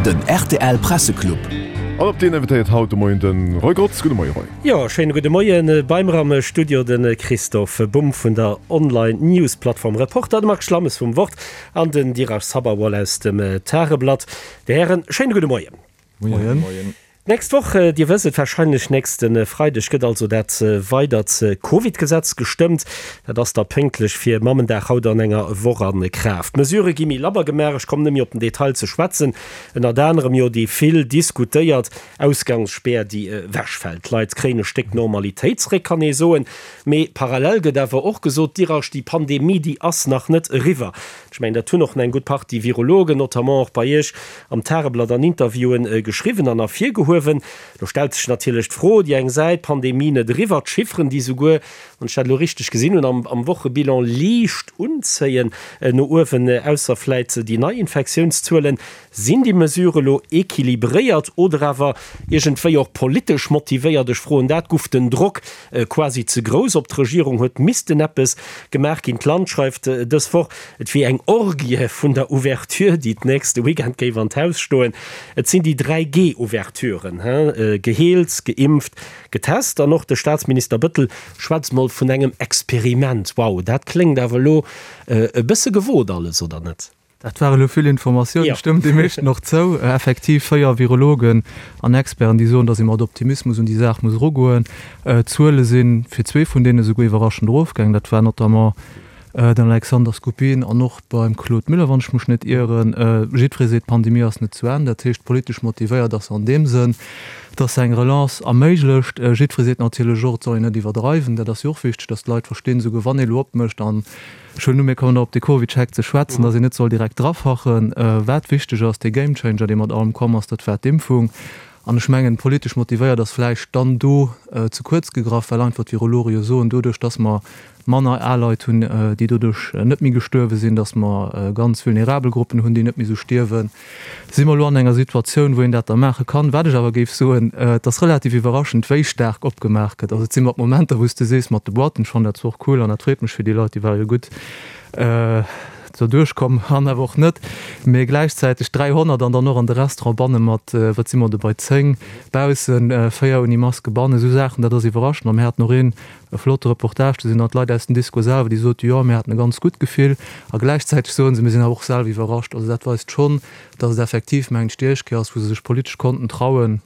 Den rtl Presseclub. An op deen invitéiert haut de Moien de Roy Grotz. Gudde Moie Roy. Jo, schéine gudde Moien. Bei mer am Studio de Christophe Bumb vun der Online-News-Plattform Reporter, de Marc Schlammes vum Wort an den Dheeraj Sabharwal aus dem Tageblatt. Dir Hären, schéine gudde Moien. Moien. D'nächst Woch, Dir wësst et warscheinlech, nächste Freideg gëtt also dat weidert Covid-Gesetz gestëmmt. Dat ass da pénktlech fir Mammendag haut an enger Woch a Kraaft. D'Mesurë gi méi labber gemaach, ech kommen net méi op den Detail ze schwätzen, ënnert anerem jo déi vill diskutéiert Ausgangsspär, déi ewechfält. D'Leit kréien e Stéck Normalitéit zeréck, kann ee soen. Mee parallel gëtt awer och gesot, Dirasch, déi Pandemie, déi ass nach net eriwwer. Ech mengen, dat hunn och eng gutt Partie Virologen, notamment och bei Iech am Tageblatt an Interviewen, geschriwwen an ervirgehuewen. Lo stellt sech natierlech d'Fro, déi eng Säit, Pandemie net eriwwer, d'Chifferen, déi souguer, wann ech dat elo richteg gesinn hunn, am Wochebilan liicht unzéien no uewen, ausser vläit déi nei Infektiounszuelen. Sinn déi Mesure elo equilibréiert oder awer iergendwéi och politesch motivéiert? Ech froen dat, Guff den Drock quasi ze grouss op d'Regierung? Huet missten eppes gemaach ginn? D'Land schreift dës Woch, et wier eng Orgie vun der Ouverture, déi d'nächste Weekend géif an d'Haus stoen. Et sinn déi 3 G-Ouverturen, geheelt, geimpft, getest. An och de Staatsminister Bëttel schwätzt mol vun engem Experiment. Wow, dat kléngt awer elo e bësse gewot alles, oder net? Dat ware lo vill Informatiounen. Ech stëmmen deem meeschten och zou. Effektiv 4 Virologen an Experten, déi soen, datt ee mat Optimismus un déi Saach muss erugoen. D'Zuele si fir zwee vun deene souguer iwwerraschend erofgaangen. Dat war notamment den Alexander Skupin an och beim Claude Müller, wann ech mech net ieren. Jiddweree seet, d'Pandemie ass net zu Enn. Dat heescht, politesch motivéiert ass se an deem Sënn, datt se eng Relance erméiglecht. Jiddweree seet natierlech och, et soll een net iwwerdreiwen. Dat ass jo och wichteg, datt d'Leit verstinn, souguer wann ee lo opmécht an Ech huelen u mir kommen nach op de CovidCheck ze schwätzen, dass een net soll direkt drafachen. Wat wichteg ass, dee Gamechanger, dee mat allem komm ass, dat war d'Impfung. An ech mengen, politesch motivéiert ass vläicht dann do ze kuerz gegraff, well einfach d'Virologe jo soen, doduerch dass mer manner al Leit hunn, déi doduerch net méi gestuerwe sinn, dass mer ganz vulnerabel Gruppen hunn, déi net méi esou stierwen, Si mer elo an enger Situatioun, wou een dat da maache kann? Wat ech awer géif soen, et ass relativ iwwerraschend, wéi staark opgemaach gëtt. Also et si mat Momenter, wou s de sees, mat de Boîten, ech fannen dat zwar och cool an dat freet mech fir déi Leit, déi ware jo gutt do duerchkomm an awer och net, mee gläichzäiteg 300 an dann och an de Restaurant banne mat, wat si mer do bei 10 baussen, 4 ouni Maske bannen, esou Saachen, dat ass iwwerraschend. A mir haten och een, E flotte Reportage, do sinn dann d'Leit aus dem Disco selwer, déi soten, jo, mir haten e ganz gutt Gefill. A gläichzäiteg soen se, mir sinn awer och selwer iwwerrascht. Also dat weist schonn, datt et effektiv, mengen ech, déi éischt Kéier ass, wou se sech politesch konnten trauen,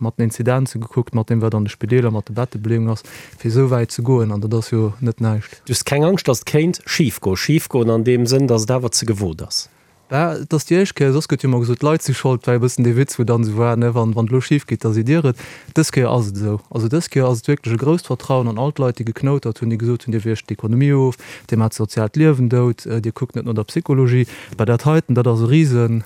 mat den Inzidenze gekuckt, mat deem, wat an de Spideeler mat de Bettebeleeung ass, fir esou wäit ze goen. An dat ass jo net näischt. Du hues keng Angscht, datt et kéint schifgoen? Schifgoen an deem Sënn, datt et awer ze gewot ass? Bah, et ass déi éischt Kéier, soss gëtt jo ëmmer gesot, d'Leit si schold, war jo e bëssen dee Witz, wou dann esou war, ne, wann, wann et elo schif geet, da sidd Dir et. Dës Kéier ass et esou. Also dës Kéier ass et wierklech e grousst Vertrauen an all d'Leit, déi geknoutert hunn, déi gesot hunn, Dir wiergt d'Ekonomie of, Dir maacht d'soziaalt Liewen dout, Dir kuckt net no der Psychologie. Bah, dat heiten, dat ass e rise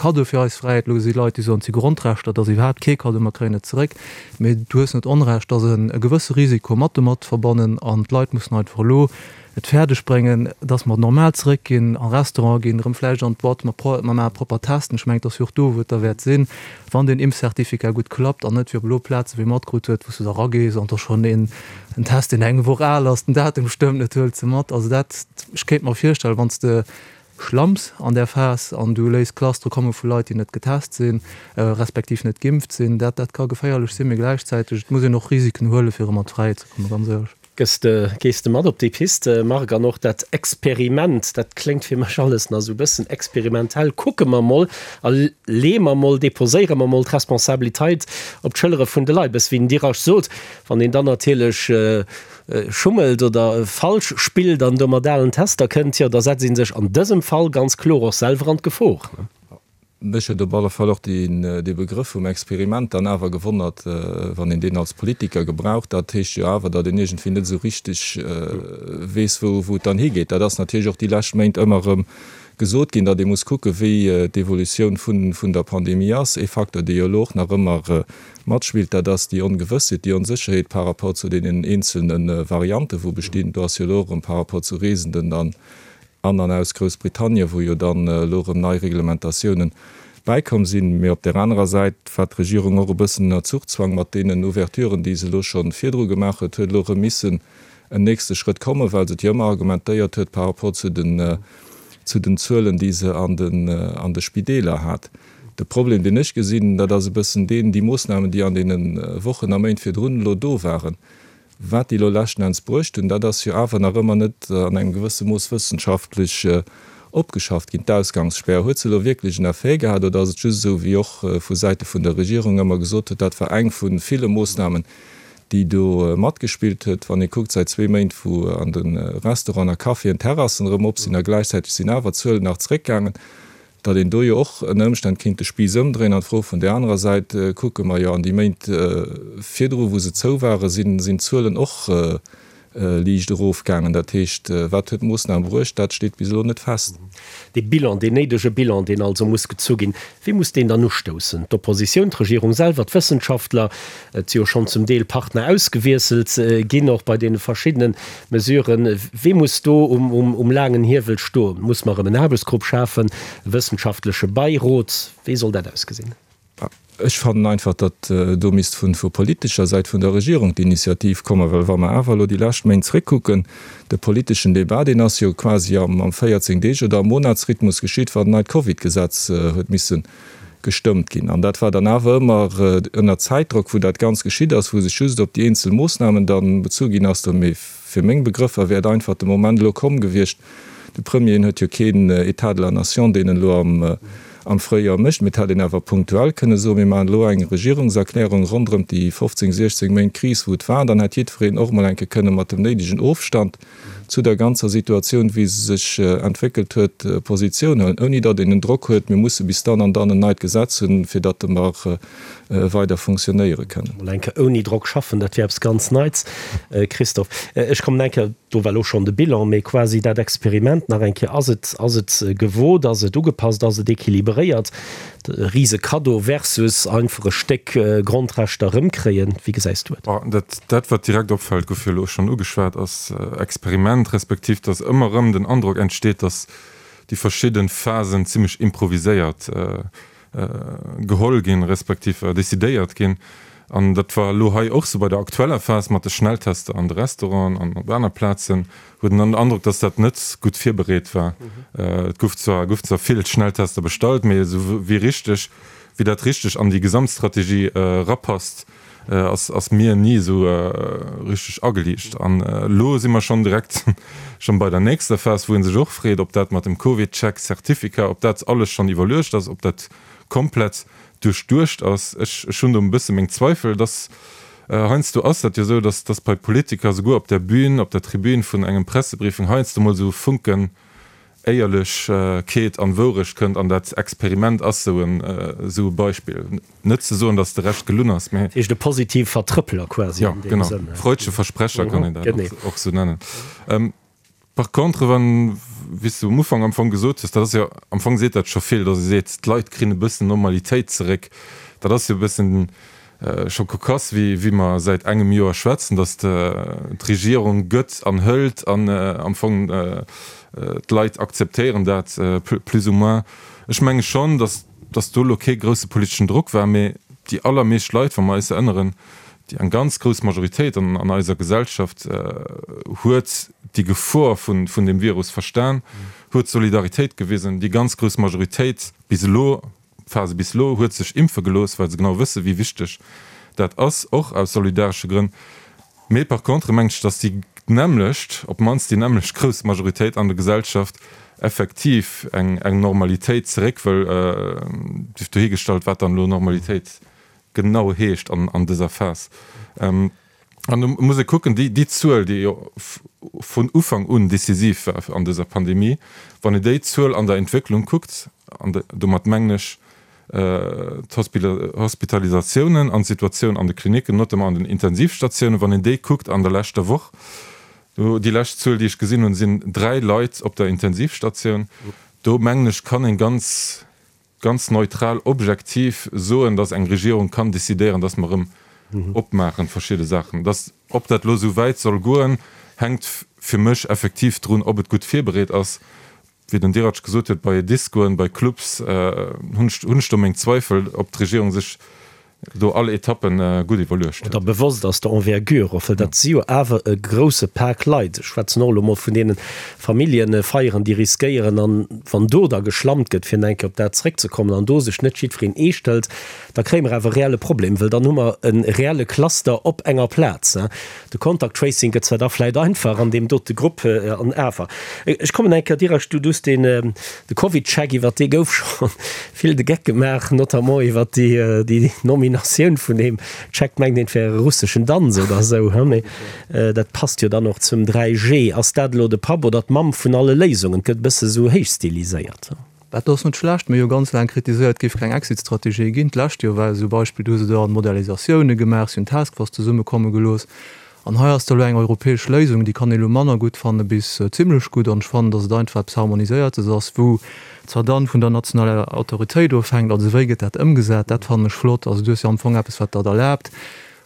Kaddo fir eis Fräiheet. Elo si Leit, déi soen, et si Grondrechter, dat ass iwwerhaapt kee Kaddo, mer kréien et zeréck. Mee du hues net Onrecht, et ass e gewësse Risiko mat domat verbonnen an d'Leit mussen einfach elo et fäerdeg bréngen, dass mer normal zeréckginn, a Restaurante ginn, erëm vläicht an d'Boîte, mer pro, mer maache propper Testen. Ech mengen, et ass jo och do, wou et derwäert sinn, wann deen Impfcertificat gutt klappt an net wéi op elo Plaze wéi ee matkrut huet, wou s du da ragees an et ass schonn een en Test, deen eng Woch al ass, den Datum stëmmt net, huel se mat. Also dat, ech kéint mer virstellen, wann s de schlamms an där Phas an du léiss Clustere komme vu Leit, déi net getest sinn, respektiv net geimpft sinn, dat, dat ka geféierlech sinn. Mee gläichzäiteg, et muss een och Risiken huelen, fir erëm an d'Fräiheet ze kommen, ganz éierlech. Gëss de, gees de mat op déi Piste, Marc? An och dat Experiment, dat kléngt fir mech alles nach esou e bëssen experimentell. Kucke mer mol a leeë mer mol, deposéiere mer mol d'Responsabiliteit op d'Schëllere vun de Leit. Bësse wéi den Dirac sot, wann een dann natierlech schummelt oder falsch spillt an do mat alen Tester kënnt, jo da setzt ee sech an dësem Fall ganz kloer och selwer an d'Gefor. Mech huet op alle Fall och dee Begrëff vum Experiment dann awer gewonnert, wann een deen als Politiker gebraucht. Dat heescht jo awer, datt een iergendwéi net esou richteg weess, wou et dann higeet. Dat ass natierlech och déi lescht Méint ëmmer erëm gesot ginn, datt ee muss kucken, wéi d'Evolutioun vun der Pandemie ass. Ee Facteur, dee jo elo och nach ëmmer matspillt, dat ass déi Ongewëssheet, déi Onsécherheet par rapport zu deenen eenzelne Varianten, wou bestinn. Do ass jo elo erëm par rapport zu Reesenden dann an an aus Groussbritannien, wou jo dann elo erëm nei Reglementatiounen bäikomm sinn. Mee op där anerer Säit war d'Regierung och e bëssen ënner Zuchzwang mat deenen Ouverturen, déi se elo scho virdru gemaach huet, huet elo erëm missen en nächste Schrëtt kommen, well se et jo ëmmer argumentéiert huet par rapport zu den, zu den Zuelen, déi se an den, an de Spideeler hat. De Problem, deen ech gesinn, dat ass e bëssen deen, déi Moossnamen, déi an deene Wochen a Méint virdrun elo do waren, wat déi elo leschten Enns bruecht hunn, dat ass jo awer nach ëmmer net an engem gewësse Mooss wëssenschaftlech opgeschafft ginn. D'Ausgangsspär, huet se elo wierklech en Effet gehat oder ass et just esou, wéi och vu Säite vun der Regierung ëmmer gesot huet, dat war eng vu ville Moossnamen, déi do matgespillt huet? Wann ee kuckt, säit zwee Méint, wou an de Restauranten a Caféen d'Terrassen erëm op sinn a gläichzäiteg sinn awer d'Zuelen nach zréckgaangen, datt een do jo och ënner Ëmstänn kéint de Spiiss ëmdréien an d'Fro vun där anerer Säit kucke mer jo an déi Méint virdru wou se zou waren, sinn d'Zuelen och liicht erofgaangen. Dat heescht, wat huet d'Moossnam bruecht, dat steet bis elo net fest. Dee Bilan, deen néidege Bilan, deen also muss gezu ginn, wie muss deen dann ustoussen? D'Oppositioun, d'Regierung selwer, d'Wëssenschaftler? Et si jo schonn zum Deel Partner ausgewiesselt ginn, och bei deene verschiddene Mesuren. Wee muss do um laangen Hiewel stoen? Muss mer erëm en Aarbechtsgrupp schafen, e wëssenschaftleche Beirot? Wéi soll dat ausgesinn? Ech fannen einfach, datt do misst vu politescher Säit vun der Regierung d'Initiativ kommen, well wa mer awer elo déi lescht Méint zréckkucken, de politeschen Débat, deen ass jo quasi am 14 Deeg oder am Monatsrhythmus geschitt, wann en neit Covid-Gesetz huet misse gestëmmt ginn. An dat war dann awer ëmmer ënner Zäitdrock, wou dat Ganzt geschitt ass, wou sech just op déi eenzel Moossnamen da bezu ginn ass. Do, mee fir meng Begrëffer wär et einfach de Moment elo komm gewiescht, de Premier, en huet jo keen État de la nation, deen en elo am Fréijoer mécht, mee et hätt een awer punktuell kënne soen, mir maachen elo eng Regierungserklärung ronderëm déi 15, 16 Méint Kris, wou et war. Dann hätt jiddwereen och emol eng Kéier kënne mat dem néidegen Ofstand zu der ganzer Situatioun, wéi se sech entwéckelt huet, Positioun huelen, ouni datt een en Drock huet, mir musse bis dann an dann en neit Gesetz hunn, fir datt mer weider fonctionnéiere kënnen. Mol eng Kéier ouni Drock schaffen, dat wier eppes ganz Neits. Christophe, ech kommen eng Kéier, do war elo schonn de Bilan, mee quasi dat Experiment nach eng Kéier, ass et, ass et gewot, ass et ugepasst, ass et équilibréiert? E rise Kaddo versus einfach e Stéck Grondrechter erëmkréien, wéi gesäis du et? Dat, dat wat direkt opfält, gouf jo elo schonn ugeschwat, ass Experiment, respektiv datt ëmmer erëm den Androck entsteet, datt déi verschidde Phasen zimmlech improviséiert geholl ginn, respektiv decidéiert ginn. An dat war elo hei och sou bei der aktueller Phas mat de Schnelltester an de Restauranten an op aner Plazen, huet een dann den Androck, dass dat net gutt virbereet war. Et gouf zwar, goufen zwar vill Schnelltester bestallt, mee esou wéi richteg, wéi dat richteg an déi Gesamtstrategie erapasst, ass, ass mir ni esou richteg ageliicht. An elo si mer schonn direkt schonn bei der nächster Phas, wou ee sech och freet, ob dat mat dem Covid-Check-Certificat, ob dat alles schonn iwwerluecht ass, ob dat komplett duerchduecht ass. Ech, ech hunn do e bësse meng Zweifel, dass, heiansdo ass dat jo esou, dass, dass bei Politiker souguer op der Bühn, op der Tribün vun engem Pressebriefing heiansdo mol esou e Funken Éierlechkeet an Wourecht kënnt, an dat Experiment ass esou en, esou e Beispill. Net ze soen, dass de Rescht gelunn ass, mä. Dat heescht e positive Vertrëppeler quasi an deem Sënn. Jo, genau, freudsche Versprecher kann een dat och esou nennen. Par contre, wann, wéi s de um Ufank am Fong gesot hues, dat ass jo, am Fong seet dat scho vill, datt ee seet, d'Leit kréien e bëssen Normalitéit zeréck, dat ass jo e bëssen scho cocasse, wéi, wéi mer säit engem Joer schwätzen, datt d'Regierung gëtt an hëlt an am Fong d'Leit akzeptéieren dat plus ou moins. Ech menge schonn, datt, datt do elo kee grousse politeschen Drock war, mee déi allermeescht Leit, wa mer eis erënneren, déi eng ganz grouss Majoritéit an an eiser Gesellschaft huet déi Gefor vun vun deem Virus verstan, huet Solidaritéit gewisen. Déi ganz grouss Majoritéit bis elo, Phase bis elo, huet sech impfe gelooss, well se genau wësse wéi wichteg dat ass, och aus solidaresche Grënn. Mee par contre mengen ech, datt déi nämmlecht, op d'mannst déi nämmlecht grouss Majoritéit an der Gesellschaft effektiv eng eng Normalitéit zeréck wëll, sief dohigestallt wat dann elo Normalitéit genau heescht an dëser Phas. An do muss ee kucken, déi Zuel, déi jo vun Ufank un decisiv war an dëser Pandemie, wann een déi Zuel an der Entwécklung kuckt, an domat mengen ech d'Hospitalisatiounen an d'Situatioun an de Klinicken, notamment an den Intensivstatiounen, wann een déi kuckt an der leschter Woch, déi lescht Zuel, déi ech gesinn hunn, sinn 3 Leit op der Intensivstatioun, do mengen ech, kann ee ganz ganz neutral, objektiv soen, dass eng Regierung kann décidéieren, dass mer erëm opmaachen verschidde Saachen. Dass, ob dat elo esou wäit soll goen, hänkt fir mech effektiv drun, ob et gutt virbereet ass. Wéi den Diratsch gesot huet, bei Discoen, bei Clubs hunn ech, hunn ech do meng Zweifel, ob d'Regierung sech. Do all Etappen gutt iwwerluecht huet. Oder bewosst ass der Envergure och, well dat si jo awer e grousse Pak Leit. Ech schwätzen och elo mol vun deene Familljefeieren, déi riskéieren, an wann do da geschlammt gëtt, fir nach eng Kéier op dat zréckzekommen, an do sech net jiddwereen eescht hëlt, da kréie mer awer e reelle Problem, well dann hu mer e reelle Cluster op enger Plaz. De Contact Tracing gëtt zwar da vläit einfach an deem dote Grupp, an awer. Ech kommen eng Kéier direkt, du hues deen, de CovidCheck, iwwert dee gouf scho vill de Geck gemaach, notamment iwwert déi, déi Nominatioun vun deem Check, mengt een, et wär e russeschen Danz oder esou, he, mee dat passt jo dann och zum 3G. Ass dat elo de Papp oder d'Mamm vun alle Léisungen? Et gëtt e bësse sou héichstiliséiert. Dat ass net schlecht. Mir hu jo ganz laang kritiséiert, et géif keng Exit-Strategie ginn. D'lescht Joer war esou e Beispill, do hu se da Modellisatioune gemaach, si hunn Taskforce zesummekomme gelooss. An hei ass da elo eng europäesch Léisung, déi kann ee elo manner gutt fanne bis zimlech gutt. An ech fannen, datt et einfach eppes Harmoniséiertes ass, wou zwar dann vun der nationaler Autoritéit ofhänkt, also wéi gëtt dat ëmgesat, dat fannen ech flott. Also du hues jo am Fong eppes, wat der et erlaabt,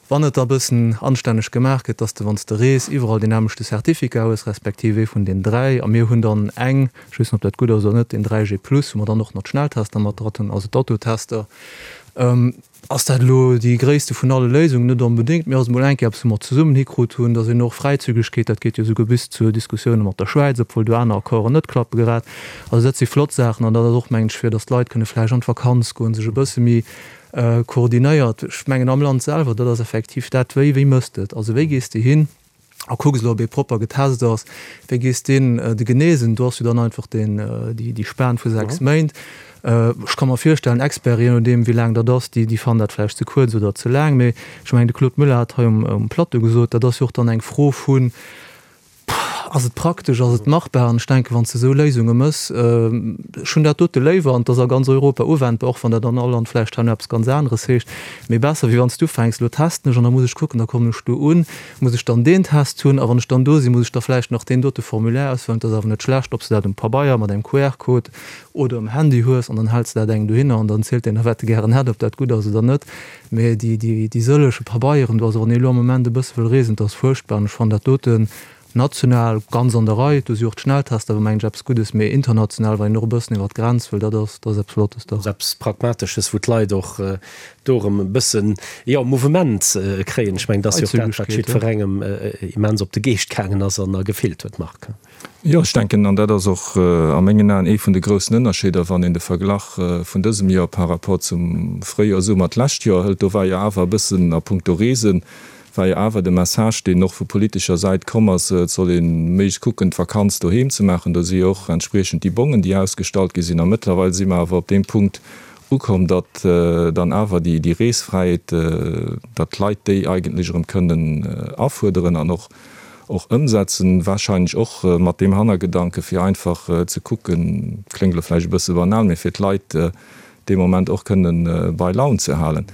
Wann et da bëssen anstänneg gemaach gëtt, dass de, wann s de rees, iwwerall deen nämmlechte Certificat hues, respektiv ee vun den 3, a mir hunn dann eng, ech weess net, ob dat gutt ass oder net, deen 3G plus, wou mer dann och nach d'Schnelltester mat dran hunn, also d'Autotester. Ass dat elo déi gréisste vun alle Léisungen? Net onbedéngt, mee ass emol eng Kéier eppes, wou mer zesummen hikrut hunn, dass een och Fräizügegkeet, dat geet jo esouguer bis zu Diskussioune mat der Schwäiz, obwuel do aner Accorden net klappe grad. Also dat si flott Saachen an dat ass och, mengen ech, fir dass d'Leit kënne vläicht an d'Vakanz goen, sech e bësse méi Koordinéiert. Ech mengen am Land selwer, dat ass effektiv dat, wéi, wéi mëss de et? Also wéi gees de hin a kucks elo, ob ee propper getest ass? Wéi gees de hin, de Genesen, do ass jo dann einfach deen, déi, déi Span vu 6 Méint. Ech ka mer virstellen, Experten, je nodeem wéi laang dat ass, déi, déi fannen dat vläicht ze kuerz oder ze laang. Mee ech mengen, de Claude Muller hat hei um, um Plateau gesot, dat ass jo och dann eng Fro vun, Ass et praktesch, ass et machbar? An ech denken, wann s de esou Léisunge méchs, ech hunn dat dote léiwer, an et ass a ganz Europa uwendbar, och wann dat an all Land vläicht herno eppes ganz aneres heescht, mee besser, wéi wann s du ufänks, elo testen ech an da muss ech kucken, da kommen ech do un, muss ech dann deen Test hunn a wann ech dann do sinn, muss ech da vläicht nach deen dote Formulaire ausfëllen. Et ass awer net schlecht, ob s de dat um Pabeier mat engem QR-Code oder um Handy hues an dann häls de dat engem dohinner an dann zielt deen da, wat e gären hätt, ob dat gutt ass oder net. Mee déi sëllege Pabeieren do, also wann ee elo am Moment e bësse wëll reesen, dat ass fuerchtbar. An ech fannen dat doten national ganz an der Rei. Do si och d'Schnelltester awer, mengen ech, eppes Guddes. Mee international, wann een och e bëssen iwwer d'Grenz wëll, dat ass, dat ass eppes Flottes, dach. Ass eppes Pragmatesches, wou d'Leit och do erëm e bëssen, jo, Mouvement kréien. Ech mengen, dat ass jo och dat, wat jiddwerengem immens op de Geescht gaangen ass an a gefeelt huet, Marc. Jo, ech denken, an dat ass och a mengen Aen ee vun de groussen Ënnerscheeder, wann een de Verglach vun dësem Joer par rapport zum Fréijoer, Summer d'lescht Joer hëlt, do war jo awer e bëssen a puncto Reesen, war jo awer de Message, deen och vu politescher Säit komm ass, et soll ee méiglechst kucken, d'Vakanz doheem ze maachen. Do si jo och entspriechend déi Bongen, déi ausgestallt gi sinn. A mëttlerweil si mer awer op deem Punkt ukomm, datt dann awer déi Reesfräiheet, datt d'Leit déi eigentlech erëm kënnen afuerderen an och och ëmsetzen, wahrscheinlech och mat deem Hannergedanke fir einfach ze kucken, kléngt elo vläicht e bësse banal, mee fir d'Leit dee Moment och kënne bei Laun ze halen.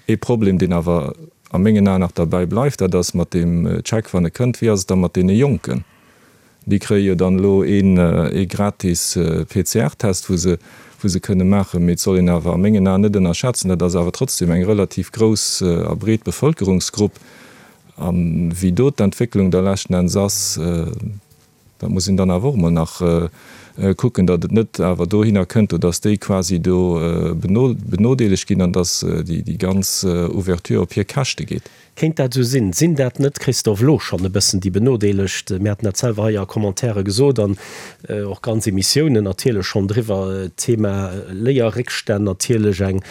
Ee Problem, deen awer a mengen Aen nach derbäi bleift, dat ass mat deem Check, wann e kënnt, wéi ass et da mat deene Jonken? Déi kréie jo dann elo ee gratis PCR-Test, wou se wou se kënne maachen. Mee et soll een awer a mengen Aen net ënnerschätzen, dat ass awer trotzdem eng relativ grouss a breet Bevëlkerungsgrupp. A wéi do d'Entwécklung da leschten Enns ass, dat muss een dann awer och emol nach kucken, datt et net awer dohinner kënnt, do datt déi quasi do benodeelegt ginn an datt déi ganz Ouverture op hir Käschte geet. Kéint dat esou sinn? Sinn dat net, Christophe, elo schonn e bëssen déi Benodeelegt? Mir haten dat selwer hei a Commentaire gesot an och ganz Emissiounen natierlech schonn driwwer, Thema Léierréckstänn natierlech eng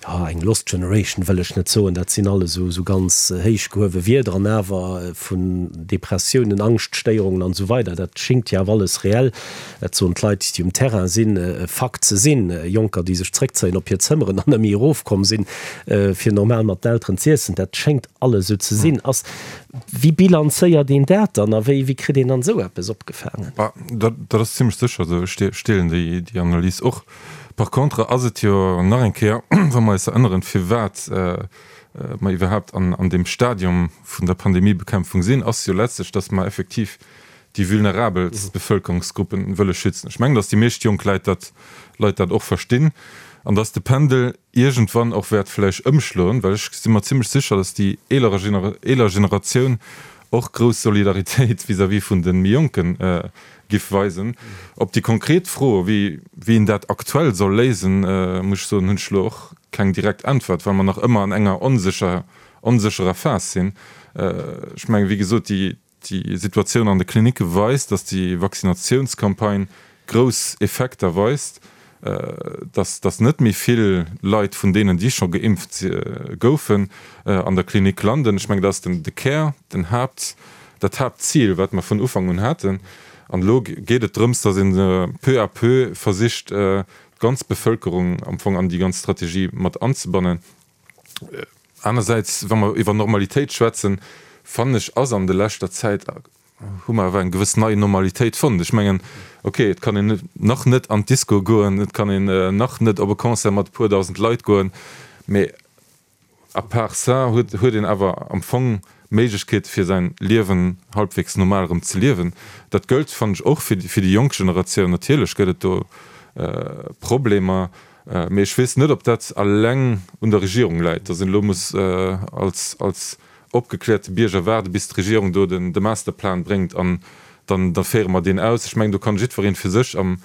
Jo, eng lost generation wëll ech net soen, dat sinn alles esou ganz héich gehuewe Wierder, an awer vun Depressiounen, Angschtstéierungen an esou weider, dat schingt jo awer alles reell, dat soen d'Leit, déi um Terrain sinn, e Fakt ze sinn. Jonker, déi sech zréckzéien op hir Zëmmeren an net méi erofkomm sinn, fir normal mat den Elteren z'iessen, dat schéngt alles esou ze sinn. Ass, wéi bilanzéiert een dat dann a wéi kritt een dann esou eppes opgefaangen? Dat ass zimlech sécher esou. Ech deelen déi Analys och. Par contre ass et jo nach eng Kéier, wa mer eis erënneren, firwat mer iwwerhaapt an deem Stadium vun der Pandemiebekämpfung sinn, ass jo letztlech, dass mer effektiv déi vulnerabelst Bevëlkerungsgruppen wëlle schützen. Ech mengen, dass déi meescht jonk Leit dat, Leit dat och verstinn an dass de Pendel iergendwann och wäert vläicht ëmschloen, well ech si mer zimlech sécher, dass déi eeler Generatioun och grouss Solidaritéit vis-à-vis vun de méi Jonken giff weisen. Op déi konkret Fro, wéi een dat aktuell soll léisen, muss ech soen, hunn ech elo och. keng direkt Äntwert, well mer nach ëmmer an enger onsécher, onsécherer Phas sinn. Ech mengen, wéi gesot, déi, déi Situatioun an de Klinicke weist, dass déi Vaccinatiounscampagne grouss Effekter weist, dass, dass net méi vill Leit vun deenen, déi scho geimpft goufen, an der Klinik landen. Ech mengen, dat ass den, de Kär, den Haapt, dat Haaptzil, wat mer vun Ufank un haten. An elo geet et drëms, dass een peu à peu versicht, d'ganz Bevëlkerung am Fong an déi ganz Strategie mat anzebannen. Anersäits, wa mer iwwer Normalitéit schwätzen, fannen ech, ass an de leschter Zäit, hu mer awer eng gewëss nei Normalitéit fonnt. Ech mengen, okay, et kann een nach net an d'Disco goen, et kann een nach net op e Concert mat e puer dausend Leit goen, mee à part ça huet huet een awer am Fong Méiglechkeete fir säin Liewen halbwegs normal erëm ze liewen. Dat gëllt, fannen ech, och fir fir déi jonk Generatioun. Natierlech gëtt et do Problemer, mee ech weess net, ob dat alleng un der Regierung läit, datt een elo muss als als opgekläerte Bierger waarde bis d'Regierung do den de Masterplan bréngt an dann da féiere mer deen aus. Ech mengen, do kann jiddwereen fir sech am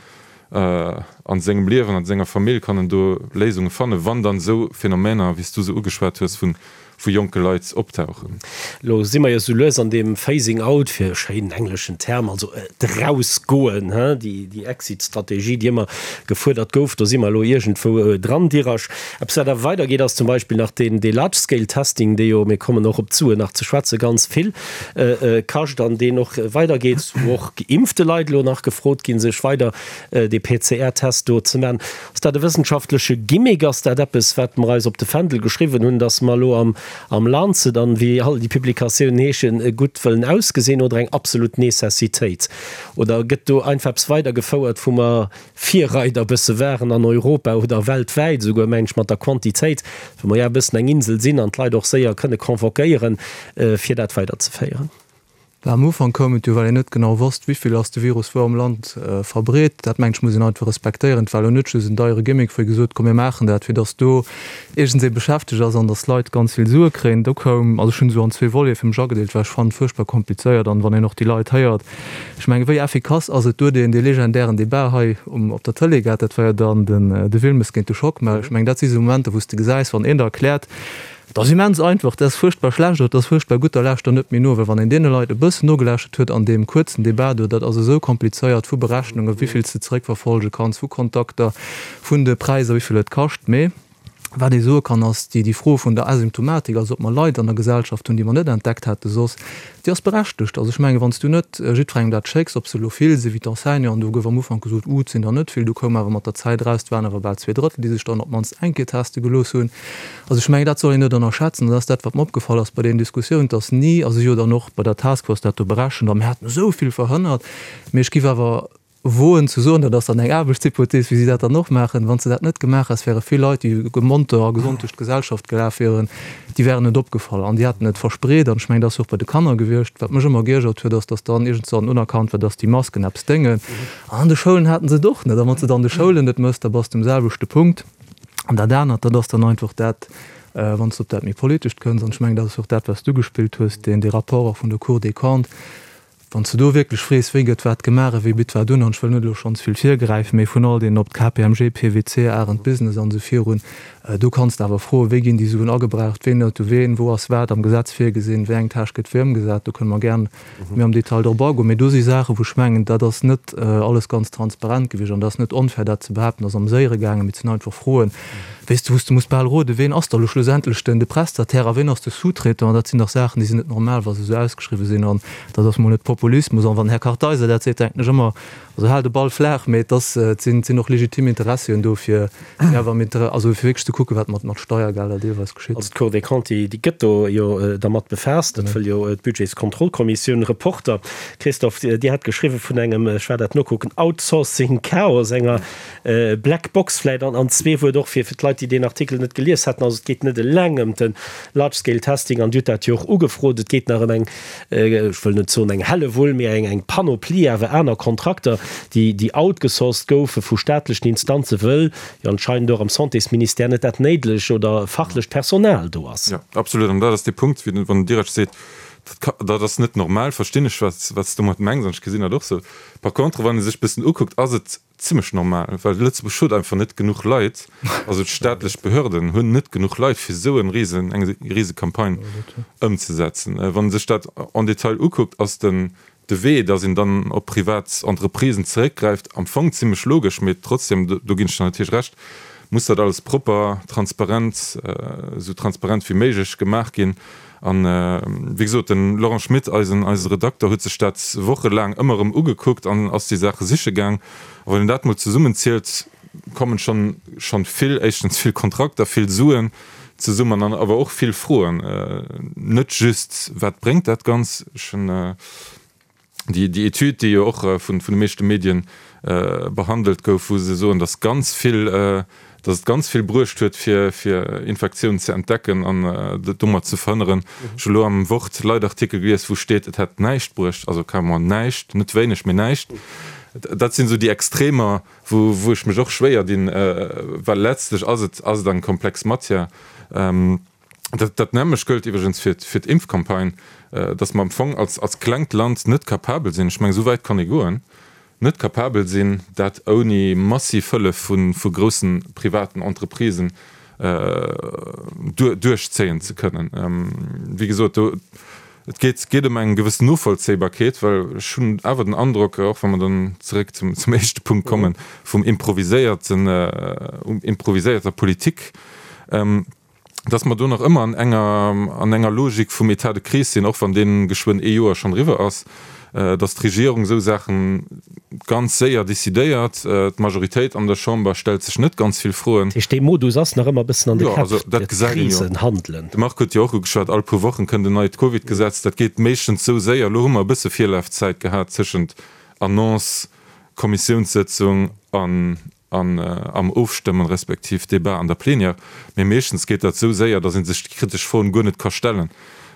a sengem Liewen, an senger Famill kann en do Léisunge fannen, wann dann esou Phänomener, wéi s du se ugeschwat hues, vu jonke Leit optauchen. Elo si mer jo sou lues an deem Phasing out, fir e schéinen engleschen Term, also d'Erausgoen, déi Exit-Strategie, déi ëmmer gefuerdert gouf, do si mer elo iergendwou dran. Dirasch, eppes wat awer weidergeet, ass zum Beispill nach deen Large-Scale-Testing, dee jo, mir kommen och op d'Suen nach ze schwätzen, ganz vill kascht an deen och weidergeet, wou och geimpfte Leit elo nach gefrot ginn, sech weider dee PCR-Test do ze maachen. Ass dat e wëssenschaftleche Gimmick? Ass dat eppes, wat mer eis op de Fändel geschriwwen hunn, datt mer elo am am Lancet an wéi all déi Publikatiounen heeschen, gutt wëllen ausgesinn oder eng absolut Necessitéit? Oder gëtt do einfach eppes weidergefouert, wou mer Virreider bësse waren an Europa oder weltwäit esouguer, mengen ech, mat der Quantitéit, wou mer jo e bëssen eng Insel sinn an d'Leit och séier kënne convoquéieren, fir dat weiderzeféieren? Am Ufank koum et jo, well een net genau wosst, wéivill ass de Virus wou am Land verbreet. Dat, mengen ech, muss een einfach respektéieren. Et war elo net just en deiere Gimmick, wou ee gesot huet, komm mir maachen dat, fir datt do iergendsee beschäftegt ass an datt d'Leit ganz vill Sue kréien. Do koum, also ech hunn esou an zwee Volete fir mech agedeelt, well ech fannen et fuerchtbar komplizéiert an wann een och déi Leit héiert, ech mengen, wéi effikass ass et do deen, dee legendären Debat hei um, op der Tëlee gehat, dat war jo dann den, de Wilmes géint de Schockmel. Ech mengen, dat si sou Momenter, wou s de gesäis, wann een der erkläert, Et ass immens einfach, dat ass fuerchtbar schlecht oder dat ass fuerchtbar gutt, da lauscht der net méi no. Well wann een deene Leit e bëssen nogelauschtert huet an deem kuerzen Debat do, dat ass esou komplizéiert vu Berechnungen, wéi vill s de zeréckverfolge kanns, vu Kontakter, vun de Präisser, wéi vill et kascht. Mee wat ee soe kann, ass déi, déi Fro vun der Asymptomatik, also ob mer Leit an der Gesellschaft hunn, déi mer net entdeckt hätte soss, Déi ass berechtegt. Also ech mengen, wann s du net jiddwerengem dat schécks, ob se elo vill sinn, wéi d'Enseignanten, do gouf am Ufank gesot, Uh, et sinn der net vill, du koum awer mat der Zäit eraus, et waren awer bal 2/3, déi sech dann op d'mannst eng Kéier teste gelooss hunn. Also ech mengen, dat soll een net ënnerschätzen. Dat ass dat, wat mer opgefall ass bei deenen Diskussiounen, dass ni, also si jo dann och bei der Taskforce dat do berechent, a mir haten esou vill verhënnert, mee ech giff awer woen ze soen, dat ass dann eng Aarbechtshypothees, wéi si dat dann och maachen, wann s de dat net gemaach häss, wäre vill Leit, déi monter a gesond duerch d'Gesellschaft gelaf wieren, déi wären net opgefall an déi hätten et verspreet. An ech mengen, dat ass jo och bei de Kanner gewiescht. Wat mech ëmmer geiergert huet, ass, datt dann iergendwann unerkannt war, datt déi Masken eppes déngen. An an de Schoulen haten se et och net. A wann s de et an de Schoulen net méchs, da bass de um selwechte Punkt. An dat anert, dat ass dann einfach dat, wann s de op dat méi Politescht kënns, an ech mengen, dat ass jo och dat, wat s du gespillt hues, deen, dee Rapport och vun der Cour des Comptes, Wann s de do wierklech frees, wéi gëtt wat gemaach a wie bitt wat un, an ech wëll net elo schonns vill virgräifen, mee vun all deenen, ob d'KPMG, PWC, Arendt Business an esou virun, do kanns de awer froen, wéi ginn déi Suen agebraucht, ween huet u ween, wou ass wat am Gesetz virgesinn, wéi eng Tâche gëtt wéi ëmgesat, do kënne mer gern méi am Detail drop agoen. Mee do si Saachen, wou ech mengen, dat ass net alles ganz transparent gewiescht an dat ass net onfair, dat ze behaapten, dat ass am Séiere gaangen, mee et sinn einfach Froen, Weess de, wou s de muss bal roden, ween ass da lo schlussendlech den de Prestataire a ween ass de Sous-traitant? An dat sinn dach Saachen, déi sinn net normal, wa se esou ausgeschriwwen sinn. An dat ass mol net Populismus. An wann den Här Kartheiser dat seet, denken ech ëmmer, also hal de Ball flaach, mee et ass, et sinn, et sinn och legitim Interessien do, fir fir awer am Inter-, also fir wierklech ze kucken, wat mat mat Steiergelder deelweis geschitt. Also d'Cour des Comptes, déi déi gëtt do jo dermat befaasst. Dat wëll jo d'Budgetskontrollkommissioun. Reporter Christophe, Dir hat geschriwwen vun engem, ech war dat nokucken, Outsourcing-Chaos, enger Black Box vläit an zwee Wuert och fir d'Leit, déi deen Artikel net gelies haten. Also et geet net eleng ëm de Large Scale Testing, an Dir hutt dat jo och ugefrot, et geet nach ëm eng, ech wëll net soen eng Hellewull, mee eng eng Panoplie awer aner Kontrakter, déi déi outgesourced goufe vu staatlechen Instanzen, wëll jo anscheinend och am Santésministère net dat néidlech oder fachlecht Personal do ass. Jo, absolut. An dat ass dee Punkt, wéi wann den Direct seet, dat ass net normal, verstinn ech, wat s de domat mengs, an ech gesinn dat och esou. Par contre, wann ee sech e bëssen ukuckt, ass et. Zimmlech normal, well Lëtzebuerg huet einfach net genuch Leit, also d'staatlech Behörden hunn net genuch Leit fir esou en rise, eng rise Campagne ëmzesetzen. Wann ee sech dat en détail ukuckt, ass den de Wee, datt een dann op privat Entreprisen zeréckgräift, am Fong zimmlech logesch, mee trotzdem, do ginn ech der natierlech Recht, muss dat alles propper, transparent, esou transparent wéi méiglech gemaach ginn. An, wéi gesot, den Laurent Schmit, eisen, eise Redakter, huet sech dat wochelaang ëmmer erëm ugekuckt an ass déi Saache siche gaang. A wann een dat mol zesummenzielt, kommen schonn, schonn vill, éischtens vill Kontrakter, vill Suen zesummen an awer och vill Froen. Net just, wat bréngt dat Ganz? Ech hunn déi, déi Etüd, déi jo och vun, vun de meeschte Medien behandelt gouf, wou se soen, datt ganz vill, datt et ganz vill bruecht huet, fir, fir Infektiounen ze entdecken an domat ze verhënneren. Ech hu lo am Wort Leitartikel gelies, wou steet, et hätt näischt bruecht, also carrément näischt, net wéineg, mee näischt. Dat sinn esou déi Extremer, wou, wou ech mech och schwéier dinn, well letztlech ass et, ass et eng komplex Matière. Dat, dat nämmlecht gëllt iwwregens fir, fir d'Impfcampagne, dass mer am Fong als, als klengt Land net capabel sinn, ech mengen, esou wäit kann ee goen, net capabel sinn, dat ouni massiv Hëllef vu, vu groussen privaten Entreprisen duer, duerchzéien ze kënnen. Wéi gesot, do, et geet, geet ëm eng gewëssen Novollzéibarkeet, well ech hunn awer den Androck, och wa mer dann zeréck zum, zum éischte Punkt kommen, vum improviséierten, improviséierter Politik, dass mer do nach ëmmer an enger, an enger Logik vum État de crise sinn, och wann dee geschwënn ee Joer schonn eriwwer ass, dass d'Regierung esou Saache ganz séier decidéiert. D'Majoritéit an der Chamber stellt sech net ganz vill Froen. Dat heescht, dee Modus ass nach ëmmer e bëssen an de Käpp, dat Krisen handelen. De Marc huet jo och ugeschwat, all puer Wochen kënnt en neit Covid-Gesetz. Dat geet meeschtens esou séier. Elo hu mer e bësse Virlafzäit gehat tëschent Annonce, Kommissiounssëtzung an an am Ofstëmmen respektiv Débat an der Plenière, mee meeschtens geet dat esou séier, datt ee sech déi kritesch Froen guer net ka stellen.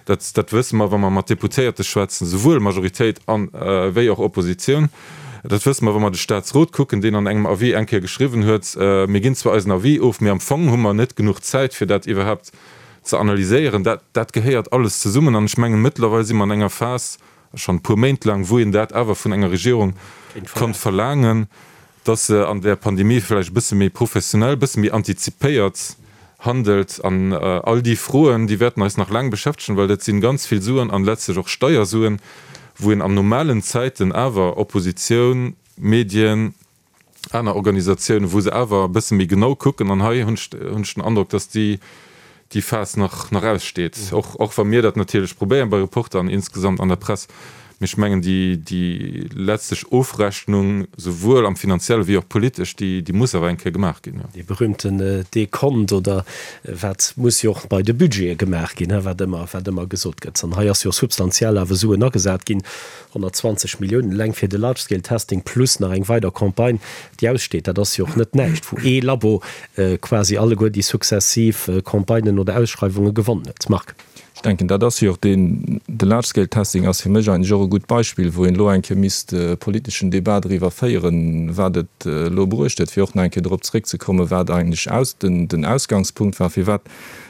Dat, dat wësse mer, wa mer mat Deputéierte schwätzen, souwuel Majoritéit an wéi och Oppositioun. Dat wësse mer, wa mer de Statsrot kucken, deen an engem Avis eng Kéier geschriwwen huet, Mir ginn zwar eisen Avis of, mee am Fong hu mer net genuch Zäit, fir dat iwwerhaapt ze analyséieren. Dat, dat gehéiert alles zesummen an ech mengen, mëttlerweil si mer an enger Phas, schonn e puer Méint laang, wou een dat awer vun enger Regierung konnt verlaangen, dass se an där Pandemie vläicht e bësse méi professionell, e bësse méi antizipéiert handelt. An all déi Froen, déi wäerten eis nach laang beschäftegen, well dat si ganz vill Suen an letztlech och Steiersuen, wou een an normalen Zäiten awer Oppositioun, Medien, aner Organisatiounen, wou se awer e bësse méi genau kucken. An hei hunn ech, hunn ech den Androck, dass déi, déi Phas nach, nach aussteet, och, och wa mir dat natierlech probéieren bei Reporter an insgesamt an der Press. Mee ech mengen, déi, déi letztlech Ofrechnung, souwuel am Finanzielle wéi och politesch, déi, déi muss awer eng Kéier gemaach ginn, jo. Dee berühmten Dekont oder wat muss jo och bei de Budgete gemaach ginn, wat ëmmer, wat ëmmer gesot gëtt. An hei ass jo substantiell awer Suen agesat ginn, 120 Milliounen eleng fir de Large Scale Testing plus nach eng weider Campagne, déi aussteet. Dat ass jo och net näischt, wou ee Labo quasi alleguer déi successiv Campagnen oder Ausschreiwunge gewonnen huet. Marc. Ech denken, dat ass jo och deen, de Large Scale Testing ass fir mech eigentlech och e gutt Beispill, wou een elo eng Kéier misst e politeschen Débat driwwer féieren, wat et elo bruecht huet, fir och nach eng Kéier drop zréckzekommen, wat eigentlech aus, den Ausgangspunkt war, firwat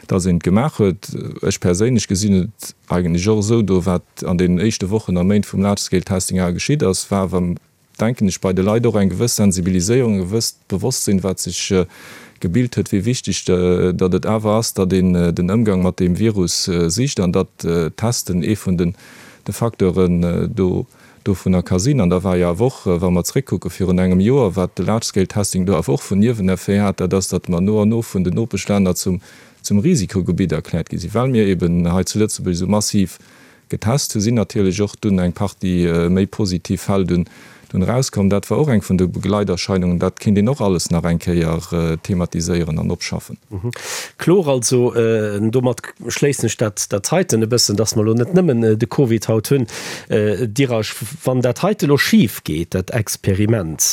dass een et gemaach huet. Ech perséinlech gesinn et eigentlech och esou, do wat an deenen éischte Wochen a Méint vum Large Scale Testing awer geschitt ass, war awer, denken ech, bei de Leit och eng gewëss Sensibiliséierung, e gewësst Bewosstsinn, wat sech gebilt huet, wéi wichteg datt et awer ass, datt een den Ëmgang mat deem Virus sicht an datt d'Testen ee vun de Facteuren do dovunner ka sinn. An da war jo awer och, wa mer zréckkucke virun engem Joer, wat de Large Scale Testing do awer och vun Nieweneffet hat, dat ass, datt mer no an no vun den Nopeschlänner zum zum Risikogebitt erkläert gi sinn, well mir eben hei zu Lëtzebuerg esou massiv getest hu, sinn natierlech och dunn eng Partie méi positiv Fäll dunn dunn erauskomm. Dat war och eng vun de Begleiterscheinungen. Dat kéint een och alles nach eng Kéier thematiséieren an opschaffen. Kloer also, domat schléissen ech dat dat heiten e bëssen, dass mer elo net nëmmen de Covid haut hunn, Dirasch, wann dat heite elo schif geet, dat Experiment,